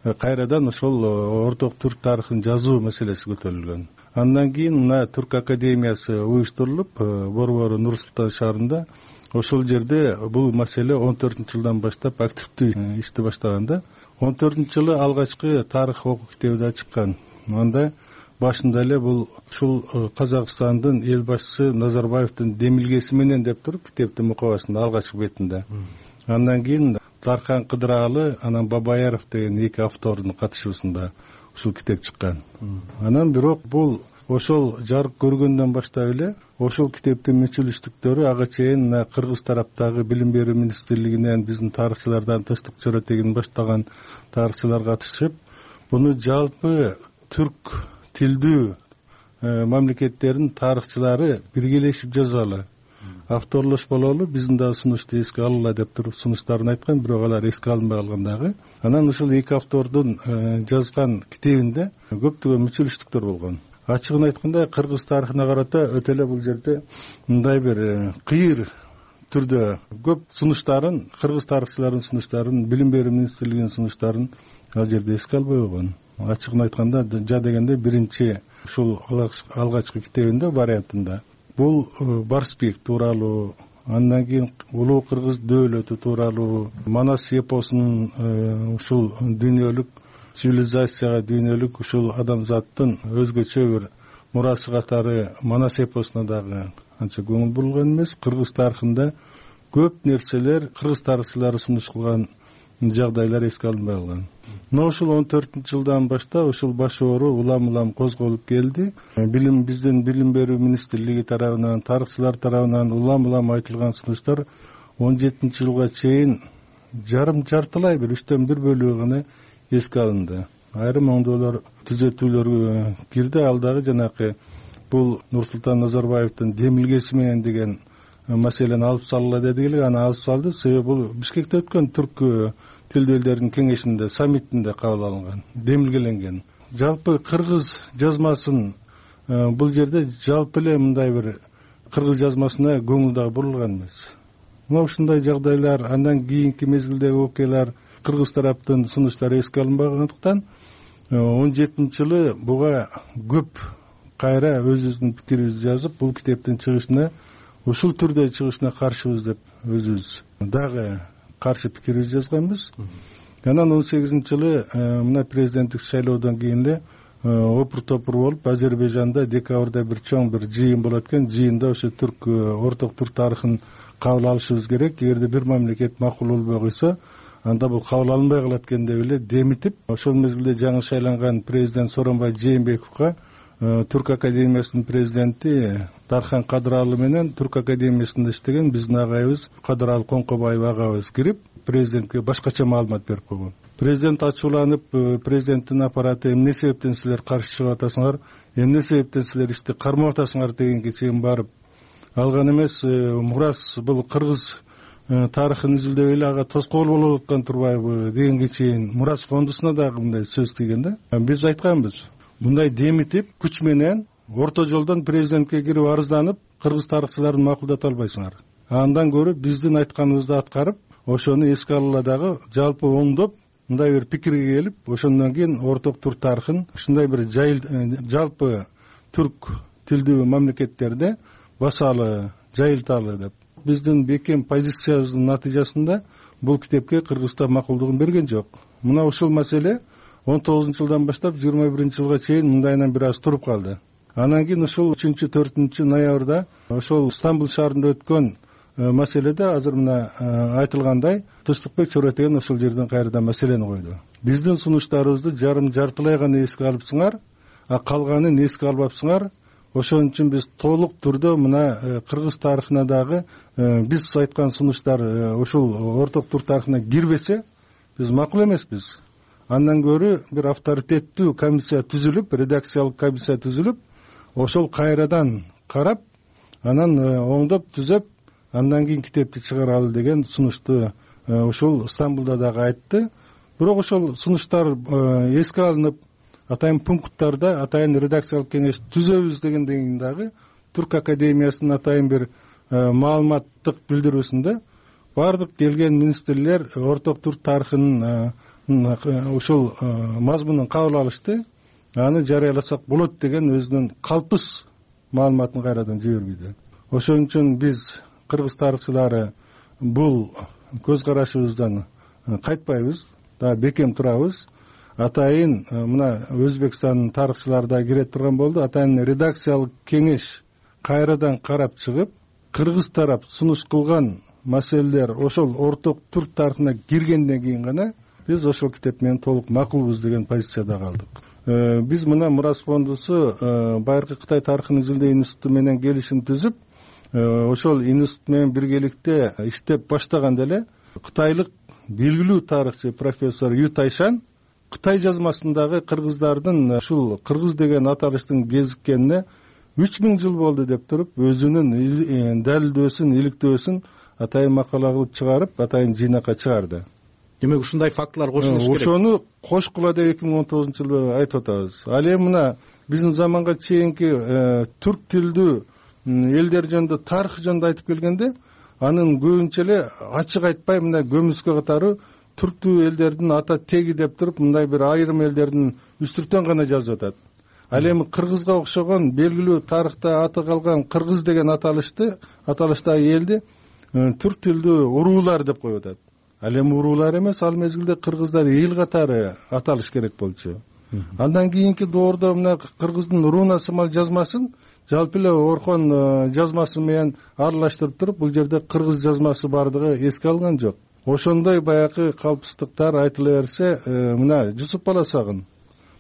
Speaker 2: кайрадан ошол орток түрк тарыхын жазуу маселеси көтөрүлгөн. Андан кийин мына Түрк академиясы уюштурулуп, Борбору Нур Султан шаарында ошол жерде бул маселе он төртүнчү жылдан баштап активдүү ишти баштаганда, он төртүнчү жылы алгачкы тарых окуу китеби да чыккан. Анда башында эле бул ушул Казакстандын эл башчысы Назарбаевдин демилгеси менен деп туруп китептин мукабасында алгачкы бетинде. Андан кийин Дархан Кыдыралы, анан Бабаяров деген эки автордун катышуусунда ушул китеп чыккан. Анан бирок бул ошол жарык көргөндөн баштап эле ошол китептин мүчүлүштүктөрү ага чейин кыргыз тараптагы билим берүү министрлигинен биздин тарыхчылардан Тынчтык Чоротегин баштаган тарыхчылар катышып, буну жалпы түрк тилдүү мамлекеттердин тарыхчылары биргелешип жазалы, авторлош бололу, биздин да сунушту эске алалы деп туруп сунуштарын айткан, бирок алар эске алынбай калган дагы. Анан ушул эки автордун жазган китебинде көптөгөн мүчүлүштүктөр болгон. Ачыгын айтканда, кыргыз тарыхына карата өтө эле бул жерде мындай бир кыйыр түрдө көп сунуштарын, кыргыз тарыхчыларынын сунуштарын, билим берүү министрлигинин сунуштарын ал жерде эске албай койгон. Ачыгын айтканда, жа дегенде биринчи ушул алгачкы китебинде вариантында бул Барсбек тууралуу, андан кийин улуу кыргыз дөөлөтү тууралуу, Манас эпосунун ушул дүйнөлүк цивилизацияга, дүйнөлүк ушул адамзаттын өзгөчө бир мурасы катары Манас эпосуна дагы анча көңүл бурулган эмес. Кыргыз тарыхында көп нерселер кыргыз тарыхчылары сунуш кылган жагдайлар эске алынбай калган. мына ушул он төртүнчү жылдан баштап ушул баш оору улам улам козголуп келди. Билим биздин билим берүү министрлиги тарабынан, тарыхчылар тарабынан улам улам айтылган сунуштар он жетинчи жылга чейин жарым жартылай бир үчтөн бир бөлүгү гана эске алынды. Айрым оңдоолор, түзөтүүлөр кирди. Ал дагы жанакы бул Нурсултан Назарбаевдин демилгеси менен деген маселени алып салгыла деди эле, аны алып салды. Себеби бул Бишкекте өткөн түрк тилдүү элдердин кеңешинде, саммитинде кабыл алынган, демилгеленген. Жалпы кыргыз жазмасын бул жерде жалпы эле мындай бир кыргыз жазмасына көңүл дагы бурулган эмес. Мына ушундай жагдайлар, андан кийинки мезгилдеги окуялар, кыргыз тараптын сунуштары эске алынбагандыктан он жетинчи жылы буга көп кайра өзүбүздүн пикирибизди жазып, бул китептин чыгышына, ушул түрдө чыгышына каршыбыз деп өзүбүз дагы каршы пикирибизди жазганбыз. Анан он сегизинчи жылы мына президенттик шайлоодон кийин эле опур-топур болуп, Азербайжанда декабрда бир чоң бир жыйын болот экен. Жыйында ошо түрк орток түрк тарыхын кабыл алышыбыз керек. Эгерде бир мамлекет макул болбой койсо, анда бул кабыл алынбай калат экен деп эле демитип, ошол мезгилде жаңы шайланган президент Сооронбай Жээнбековго Түрк академиясынын президенти Дархан Кадыралы менен Түрк академиясында иштеген биздин агайыбыз Кадыралы Коңкобаев агабыз кирип, президентке башкача маалымат берип койгон. Президент ачууланып, президенттин аппараты эмне себептен силер каршы чыгып атасыңар, эмне себептен силер ишти кармап атасыңар дегенге чейин барып алган эмес. Мурас бул кыргыз тарыхын изилдеп эле ага тоскоол болуп аткан турбайбы дегенге чейин Мурас фондусуна дагы мындай сөз тийген да. Биз айтканбыз, мындай демитип, күч менен орто жолдон президентке кирип арызданып, кыргыз тарыхчыларын макулдата албайсыңар. Андан көрө биздин айтканыбызды аткарып, ошону эске алгыла дагы жалпы оңдоп, мындай бир пикирге келип, ошондон кийин орток түрк тарыхын ушундай бир жалпы түрк тилдүү мамлекеттерде басалы, жайылталы деп. Биздин бекем позициябыздын натыйжасында бул китепке Кыргызстан макулдугун берген жок. Мына ушул маселе он тогузунчу жылдан баштап жыйырма биринчи жылга чейин мындайынан бир аз туруп калды. Анан кийин ушул үчүнчү төртүнчү ноябрда ошол Стамбул шаарында өткөн маселеде азыр мына айтылгандай Тынчтыкбек Чоротеген ошол жерден кайрадан маселени койду. Биздин сунуштарыбызды жарым жартылай гана эске алыпсыңар, а калганын эске албапсыңар. Ошон үчүн биз толук түрдө мына кыргыз тарыхына дагы биз айткан сунуштар ошол орток түрк тарыхына кирбесе, биз макул эмеспиз. Андан көрө бир авторитеттүү комиссия түзүлүп, редакциялык комиссия түзүлүп, ошол кайрадан карап, анан оңдоп түзөп, андан кийин китепти чыгаралы деген сунушту ошол Стамбулда дагы айтты. Бирок ошол сунуштар эске алынып, атайын пункттарда атайын редакциялык кеңеш түзөбүз дегенден кийин дагы Түрк академиясынын атайын бир маалыматтык билдирүүсүндө бардык келген министрлер орток түрк тарыхынын ушул мазмунун кабыл алышты, аны жарыяласак болот деген өзүнүн калпыс маалыматын кайрадан жибербейди. Ошон үчүн биз кыргыз тарыхчылары бул көз карашыбыздан кайтпайбыз, да бекем турабыз. Атайын мына Өзбекстандын тарыхчылары да кире турган болду. Атайын редакциялык кеңеш кайрадан карап чыгып, кыргыз тарап сунуш кылган маселелер ошол орток түрк тарыхына киргенден кийин гана биз ошол китеп менен толук макулбуз деген позицияда калдык. Биз мына Мурас фондусу байыркы Кытай тарыхын изилдөө институту менен келишим түзүп, ошол институт менен биргеликте иштеп баштаганда эле кытайлык белгилүү тарыхчы профессор Ю Тайшан Кытай жазмасындагы кыргыздардын ушул кыргыз деген аталыштын кезиккенине үч миң жыл болду деп туруп, өзүнүн далилдөөсүн, иликтөөсүн атайын макала кылып чыгарып, атайын жыйнакка чыгарды.
Speaker 22: Демек ушундай фактылар кошулуш керек.
Speaker 2: Ошону кошкула деп эки миң он тогузунчу жылы айтып атабыз. Ал эми мына биздин заманга чейинки түрк тилдүү элдер жөнүндө тарых жөнүндө айтып келгенде, анын көбүнчө эле ачык айтпай мына көмүскө катары түрктүү элдердин ата теги деп туруп, мындай бир айрым элдердин үстүртөн гана жазып атат. Ал эми кыргызга окшогон белгилүү тарыхта аты калган кыргыз деген аталышты, аталыштагы элди түрк тилдүү уруулар деп коюп атат. Ал эми уруулар эмес, ал мезгилде кыргыздар эл катары аталыш керек болчу. Андан кийинки доордо мына кыргыздын руна сымал жазмасын жалпы эле Орхон жазмасы менен аралаштырып туруп, бул жерде кыргыз жазмасы бардыгы эске алынган жок. ошондой баягы калпсыздыктар айтыла берсе, мына Жусуп Баласагын,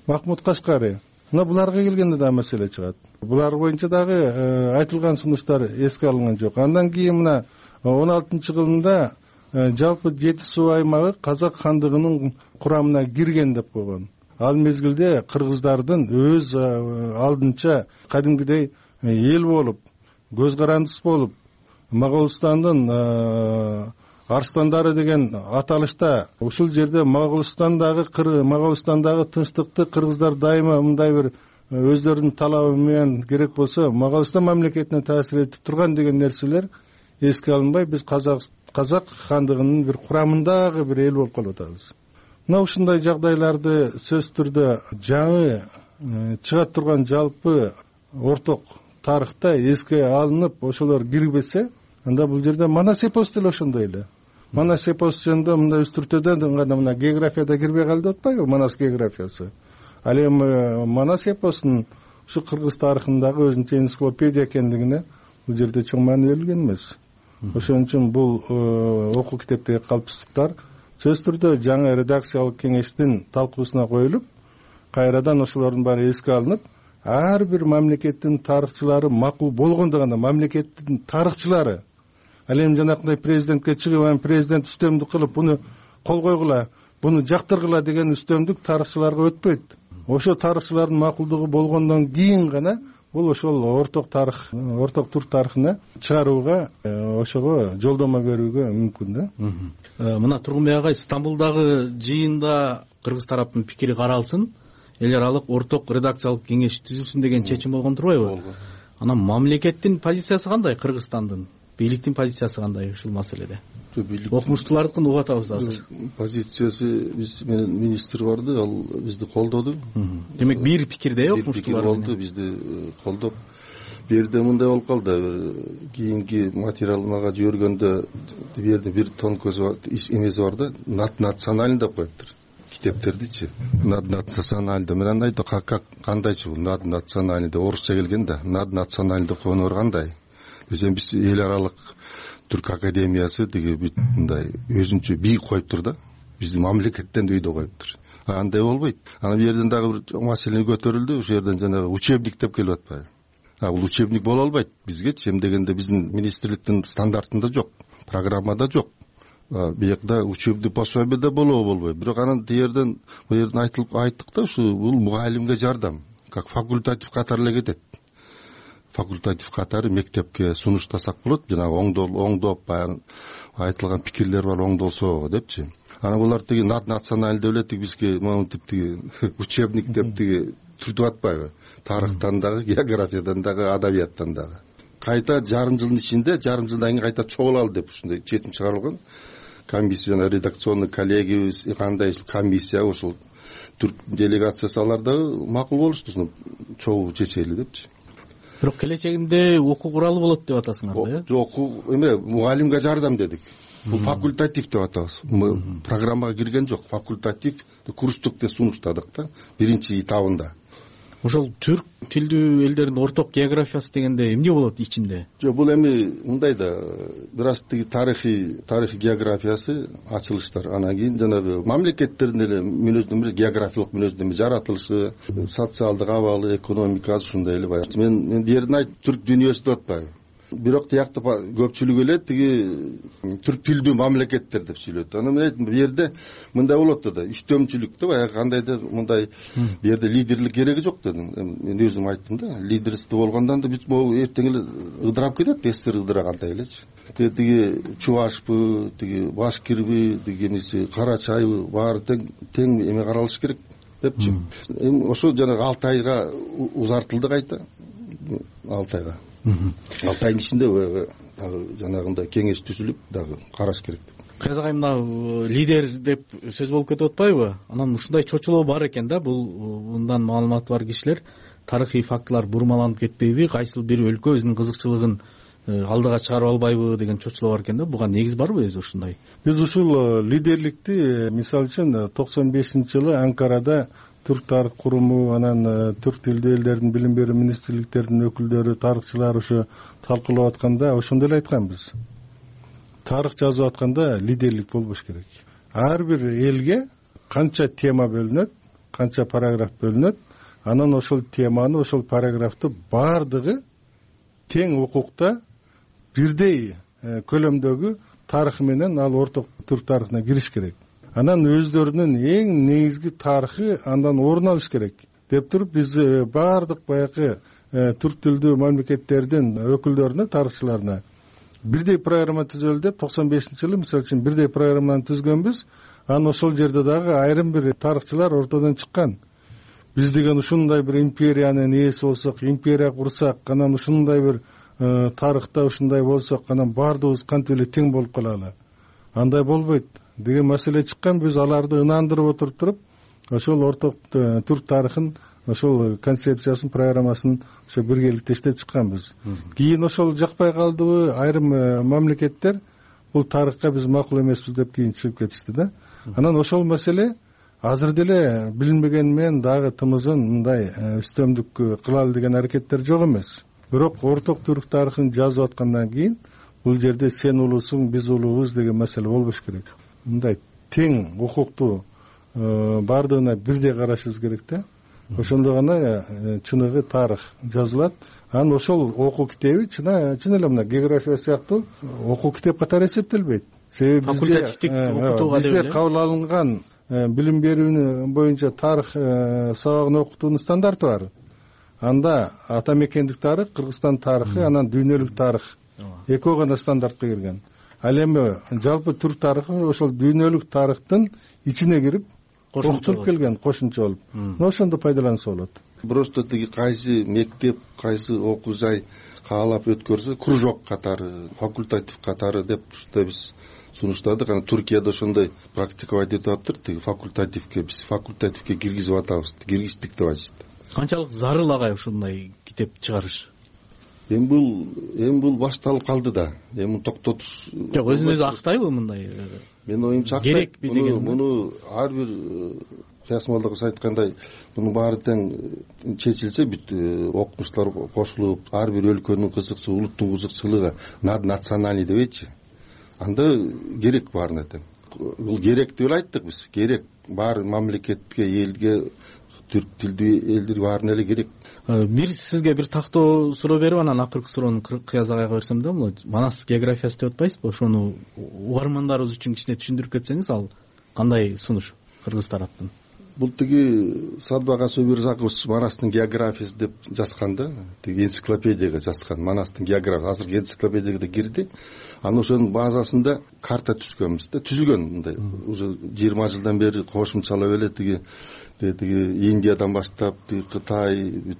Speaker 2: Махмуд Кашкари, мына буларга келгенде да маселе чыгат. Булар боюнча дагы айтылган сунуштар эске алынган жок. Андан кийин мына он алтынчы жылында жалпы жети суу аймагы Казак хандыгынын курамына кирген деп койгон. Ал мезгилде кыргыздардын өз алдынча кадимгидей эл болуп, көз карандыс болуп, Моголстандын арстандары деген аталышта ушул жерде Моголстандагы Моголстандагы тынчтыкты кыргыздар дайыма мындай бир өздөрүнүн талабы менен керек болсо Моголстан мамлекетине таасир этип турган деген нерселер эске алынбай, биз Казак хандыгынын бир курамындагы бир эл болуп калып атабыз. Мына ушундай жагдайларды сөзсүз түрдө жаңы чыга турган жалпы орток тарыхта эске алынып, ошолор кирбесе, анда бул жерде Манас эпос деле ошондой эле. Манас эпос жөнүндө мындай үстүртөдөн гана мына географияда кирбей калды деп атпайбы, Манас географиясы. Ал эми Манас эпосунун ушу кыргыз тарыхындагы өзүнчө энциклопедия экендигине бул жерде чоң маани берилген эмес. Ошон үчүн бул окуу китептеги калпсыздыктар сөзсүз түрдө жаңы редакциялык кеңештин талкуусуна коюлуп, кайрадан ошолордун баары эске алынып, ар бир мамлекеттин тарыхчылары макул болгондо гана мамлекеттин тарыхчылары, ал эми жанакындай президентке чыгып, президент үстөмдүк кылып, буну кол койгула, буну жактыргыла деген үстөмдүк тарыхчыларга өтпөйт. Ошо тарыхчылардын макулдугу болгондон кийин гана бул ошол орток тарых, орток түрк тарыхына чыгарууга, ошого жолдомо берүүгө мүмкүн да.
Speaker 22: Мына Тургунбек агай, Стамбулдагы жыйында кыргыз тараптын пикири каралсын, эл аралык орток редакциялык кеңеш түзүлсүн деген чечим болгон турбайбы? Анан мамлекеттин позициясы кандай, Кыргызстандын, бийликтин позициясы кандай ушул маселеде? Окумуштуулардыкын угуп атабыз азыр.
Speaker 21: Позициясы, биз менен министр барды, ал бизди колдоду.
Speaker 22: Демек бир пикирде окумуштуулар
Speaker 21: болду, бизди колдоп. Бу жерде мындай болуп калды, кийинки материал мага жибергөндө бу жерде бир тон көз бар, эмеси бар да, наднациональный деп коюптур. Китептердичи, наднациональный. Мен андай да как кандайчы бул наднациональный деп орусча келген да, наднациональный деп койгону бар кандай? Биз эл аралык Түрк академиясы деги бүт мындай өзүнчө бийик коюптур да, биздин мамлекеттен өйдө коюптур. Андай болбойт. Анан бу жерден дагы бир маселе көтөрүлдү, ошол жерден жанагы учебник деп келип атпайбы? А бул учебник боло албайт бизгечи, эми дегенде биздин министрликтин стандартында жок, программада жок. Биякта учебный пособие да болобу болбойт. Бирок анан тиерден бу жерден айтылып айттык да, ушу бул мугалимге жардам, как факультатив катары эле кетет. Факультатив катары мектепке сунуштасак болот, жанагы оңдол оңдоп баягы айтылган пикирлер бар, оңдолсо депчи. Анан булар тиги наднациональный деп эле бизге монтип тиги учебник деп тиги түртүп атпайбы? Тарыхтан дагы, географиядан дагы, адабияттан дагы. Кайта жарым жылдын ичинде, жарым жылдан кийин кайта чогулалы деп ушундай четим чыгарылган. Комиссия, редакционный коллегиябыз, кандай комиссия, ошол түрк делегациясы алар дагы макул болушту, чогуу чечели депчи.
Speaker 22: Бирок келечегинде окуу куралы болот деп атасыңар да?
Speaker 21: Жок, эме мугалимге жардам дедик. Бул факультатив деп атабыз. Программага кирген жок, факультатив курстукте сунуштадык да, биринчи этабында.
Speaker 22: Ошол түрк тилдүү элдердин орток географиясы дегенде эмне болот ичинде?
Speaker 21: Жок, бул эми мындай да, бир аз тиги тарыхый, тарыхый географиясы ачылыштар. Анан кийин жанагы мамлекеттердин эле мүнөздөмө, географиялык мүнөздөмө жаратылышы, социалдык абалы, экономикасы ушундай эле баягы. Мен мен бу жерден айт түрк дүйнөсү деп атпайбы? Бирок тиякта көпчүлүк эле тиги түрк тилдүү мамлекеттер деп сүйлөйт. Анан мен айттым, бу жерде мындай болот да, үчтөмчүлүктө баягы кандайдыр мындай бу жерде лидерлик кереги жок дедим. Мен өзүм айттым да, лидерство болгондон да бүт могу эртең эле ыдырап кетет, эстер ыдырагандай элечи. Тиги Чувашпы, тиги Башкирби, тиги эмеси Карачайбы баары тең тең эме каралыш керек депчи. Эми ошо жанагы алты айга узартылды кайта. алты айга. алты айдын ичинде дагы жанагындай кеңеш түзүлүп дагы караш керек.
Speaker 22: Кайыз агай, мына лидер деп сөз болуп кетип атпайбы? Анан ушундай чочулоо бар экен да, бул мындан маалыматы бар кишилер тарыхый фактылар бурмаланып кетпейби, кайсыл бир өлкө өзүнүн кызыкчылыгын алдыга чыгарып албайбы деген чочулоо бар экен да. Буга негиз барбы өзү ушундай?
Speaker 2: Биз ушул лидерликти мисалы үчүн токсон бешинчи жылы Анкарада Түрк тарых куруму, анан түрк тилдүү элдердин билим берүү министрликтеринин өкүлдөрү, тарыхчылар ушу талкуулап атканда ошондой эле айтканбыз. тарых жазып атканда лидерлик болбош керек. Ар бир элге канча тема бөлүнөт, канча параграф бөлүнөт, анан ошол теманы, ошол параграфты баардыгы тең укукта бирдей көлөмдөгү тарыхы менен ал орток түрк тарыхына кириш керек. Анан өздөрүнүн эң негизги тарыхы андан орун алыш керек деп туруп, биз баардык баягы түрк тилдүү мамлекеттердин өкүлдөрүнө, тарыхчыларына бирдей программа түзөлү деп токсон бешинчи жылы мисалы үчүн бирдей программаны түзгөнбүз. Анан ошол жерде дагы айрым бир тарыхчылар ортодон чыккан. Биз деген ушундай бир империянын ээси болсок, империя курсак, анан ушундай бир тарыхта ушундай болсок, анан баардыгыбыз кантип эле тең болуп калалы. Андай болбойт деген маселе чыккан. Биз аларды ынандырып отуруп туруп, ошол орток түрк тарыхын, ошол концепциясын, программасын ошо биргеликте иштеп чыкканбыз. Кийин ошол жакпай калдыбы, айрым мамлекеттер бул тарыхка биз макул эмеспиз деп кийин чыгып кетишти да. Анан ошол маселе азыр деле билинбегени менен дагы тымызын мындай үстөмдүк кылалы деген аракеттер жок эмес. Бирок орток түрк тарыхын жазып аткандан кийин бул жерде сен улуусуң, биз улуубуз деген маселе болбош керек. Мындай тең укукту баардыгына бирдей карашыбыз керек да. Ошондо гана чыныгы тарых жазылат. Анан ошол окуу китеби чын чын эле мына география сыяктуу окуу китеп катары эсептелбейт. Себеби
Speaker 22: факультативдик окутууга
Speaker 2: бизде кабыл алынган билим берүү боюнча тарых сабагын окутуунун стандарты бар. Анда ата мекендик тарых, Кыргызстан тарыхы, анан дүйнөлүк тарых экөө гана стандартка кирген. Ал эми жалпы түрк тарыхы ошол дүйнөлүк тарыхтын ичине кирип окутулуп келген, кошумча болуп. Ошондо пайдаланса болот.
Speaker 21: Просто тиги кайсы мектеп, кайсы окуу жай каалап өткөрсө, кружок катары, факультатив катары деп ушундай биз сунуштадык. Анан Туркияда ошондой практиковать этип атыптыр. Тиги факультативке биз факультативке киргизип атабыз, киргиздик деп айтышты.
Speaker 22: Канчалык зарыл агай ушундай китеп чыгарыш?
Speaker 21: Эми бул эми бул башталып калды да. Эми токтотуш
Speaker 22: жок, өзүн өзү актайбы мындай?
Speaker 21: Мен оюмча
Speaker 22: керек би деген.
Speaker 21: Муну ар бир Кыясмолдогус айткандай, мунун баары тең чечилсе, бүт окумуштар кошулуп, ар бир өлкөнүн кызыкчылыгы, улуттун кызыкчылыгы национальный дебейчи. Анда керек баарына тең. Бул керек деп эле айттык биз. Керек баары мамлекетке, элге, түрк тилдүү элдер баарына эле керек.
Speaker 22: Бир сизге бир тактоо суроо берип, анан акыркы суроону Кыяз агайга берсем да, бул Манас географиясы деп атпайсызбы? Ошону угармандарыбыз үчүн кичине түшүндүрүп кетсеңиз, ал кандай сунуш Кыргыз тараптан?
Speaker 21: Бул тиги Садбак Асубирзакович Манастын географиясы деп жазган да, тиги энциклопедияга жазган. Манастын география азыркы энциклопедияга да кирди. Анан ошонун базасында карта түзгөнбүз да, түзүлгөн мындай. Уже жыйырма жылдан бери кошумчалап эле тиги тиги Индиядан баштап, тиги Кытай,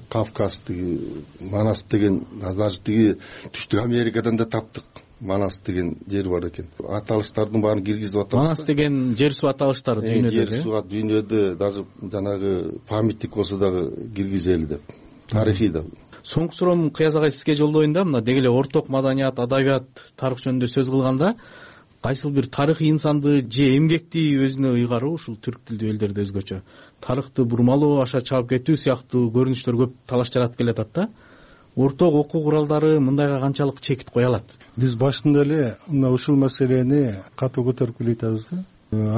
Speaker 21: Кавказ, тиги Манас деген, даже тиги Түштүк Америкадан да таптык. Манас деген жер бар экен. Аталыштардын баарын киргизип атабыз.
Speaker 22: Манас деген жер суу аталыштары дүйнөдө.
Speaker 21: Жер суу дүйнөдө даже жанагы памятник болсо дагы киргизели деп. Тарыхый да.
Speaker 22: Соңку суроом Кыяз агай сизге жолдоюн да, мына деги эле орток маданият, адабият, тарых жөнүндө сөз кылганда, кайсыл бир тарыхый инсанды же эмгекти өзүнө ыйгаруу, ушул түрк тилдүү элдерде өзгөчө тарыхты бурмалоо, аша чаап кетүү сыяктуу көрүнүштөр көп талаш жаратып келатат да. Орток окуу куралдары мындайга канчалык чекит кое алат?
Speaker 2: Биз башында эле мына ушул маселени катуу көтөрүп келе атабыз да.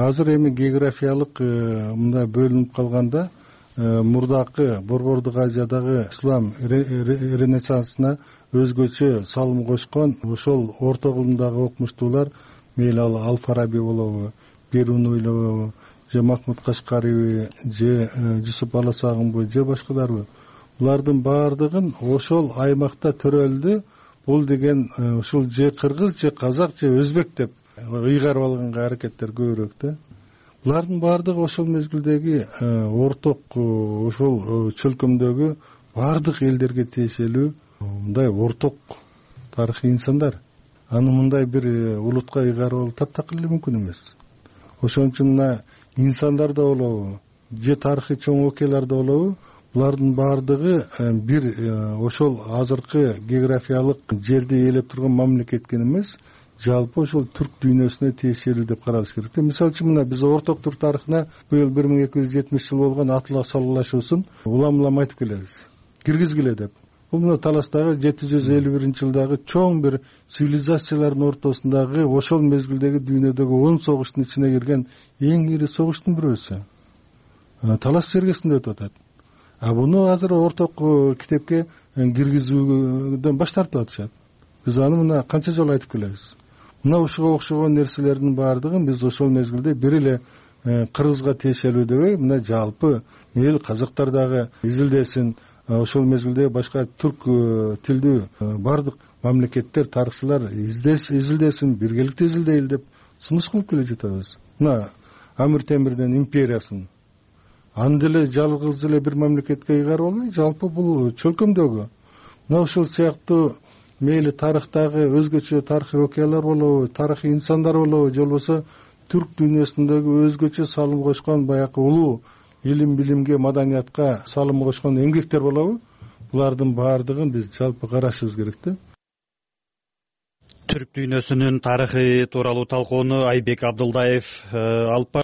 Speaker 2: Азыр эми географиялык мындай бөлүнүп калганда, мурдакы Борбордук Азиядагы ислам ренессансына өзгөчө салым кошкон ошол орто кылымдагы окумуштуулар, мейли ал Ал-Фараби болобу, Берунуй болобу, же Махмуд Кашкариби, же Жусуп Баласагынбы, же башкаларбы, булардын баардыгын ошол аймакта төрөлдү. Бул деген ушул же кыргыз, же казак, же өзбек деп ыйгарып алганга аракеттер көбүрөөк да. Булардын баардыгы ошол мезгилдеги орток ошол чөлкөмдөгү баардык элдерге тиешелүү мындай орток тарыхый инсандар. Аны мындай бир улутка ыйгарып алуу таптакыр эле мүмкүн эмес. Ошон үчүн мына инсандар да болобу, же тарыхый чоң окуялар да болобу, булардын баардыгы бир ошол азыркы географиялык жерди ээлеп турган мамлекетке эмес, жалпы ошол түрк дүйнөсүнө тиешелүү деп каралыш керек. Мисалы үчүн мына биз орток түрк тарыхына быйыл бир миң эки жүз жетимиш жыл болгон Атлас салгылашуусун улам улам айтып келебиз. Киргизгиле деп. бул мына таластагы жети жүз элүү биринчи жылдагы чоң бир цивилизациялардын ортосундагы ошол мезгилдеги дүйнөдөгү он согуштун ичине кирген эң ири согуштун бирөөсү талас жергесинде өтүп атат. А буну азыр орток китепке киргизүүдөн баш тартып атышат. Биз аны мына канча жолу айтып келебиз. Мына ушуга окшогон нерселердин баардыгын биз ошол мезгилде бир эле кыргызга тиешелүү дебей, мына жалпы эл казактар дагы изилдесин, ошол мезгилде башка түрк тилдүү баардык мамлекеттер, тарыхчылар изилдесин, биргеликте изилдейли деп сунуш кылып келе жатабыз. Мына Амир Темирдин империясын аны деле жалгыз эле бир мамлекетке ыйгарып албай, жалпы бул чөлкөмдөгү мына ушул сыяктуу мейли тарыхтагы өзгөчө тарыхый окуялар болобу, тарыхый инсандар болобу, же болбосо түрк дүйнөсүндөгү өзгөчө салым кошкон баягы улуу илим билимге, маданиятка салым кошкон эмгектер болобу, булардын баардыгын биз жалпы карашыбыз керек да.
Speaker 1: Түрк дүйнөсүнүн тарыхы тууралуу талкууну Айбек Абдылдаев алып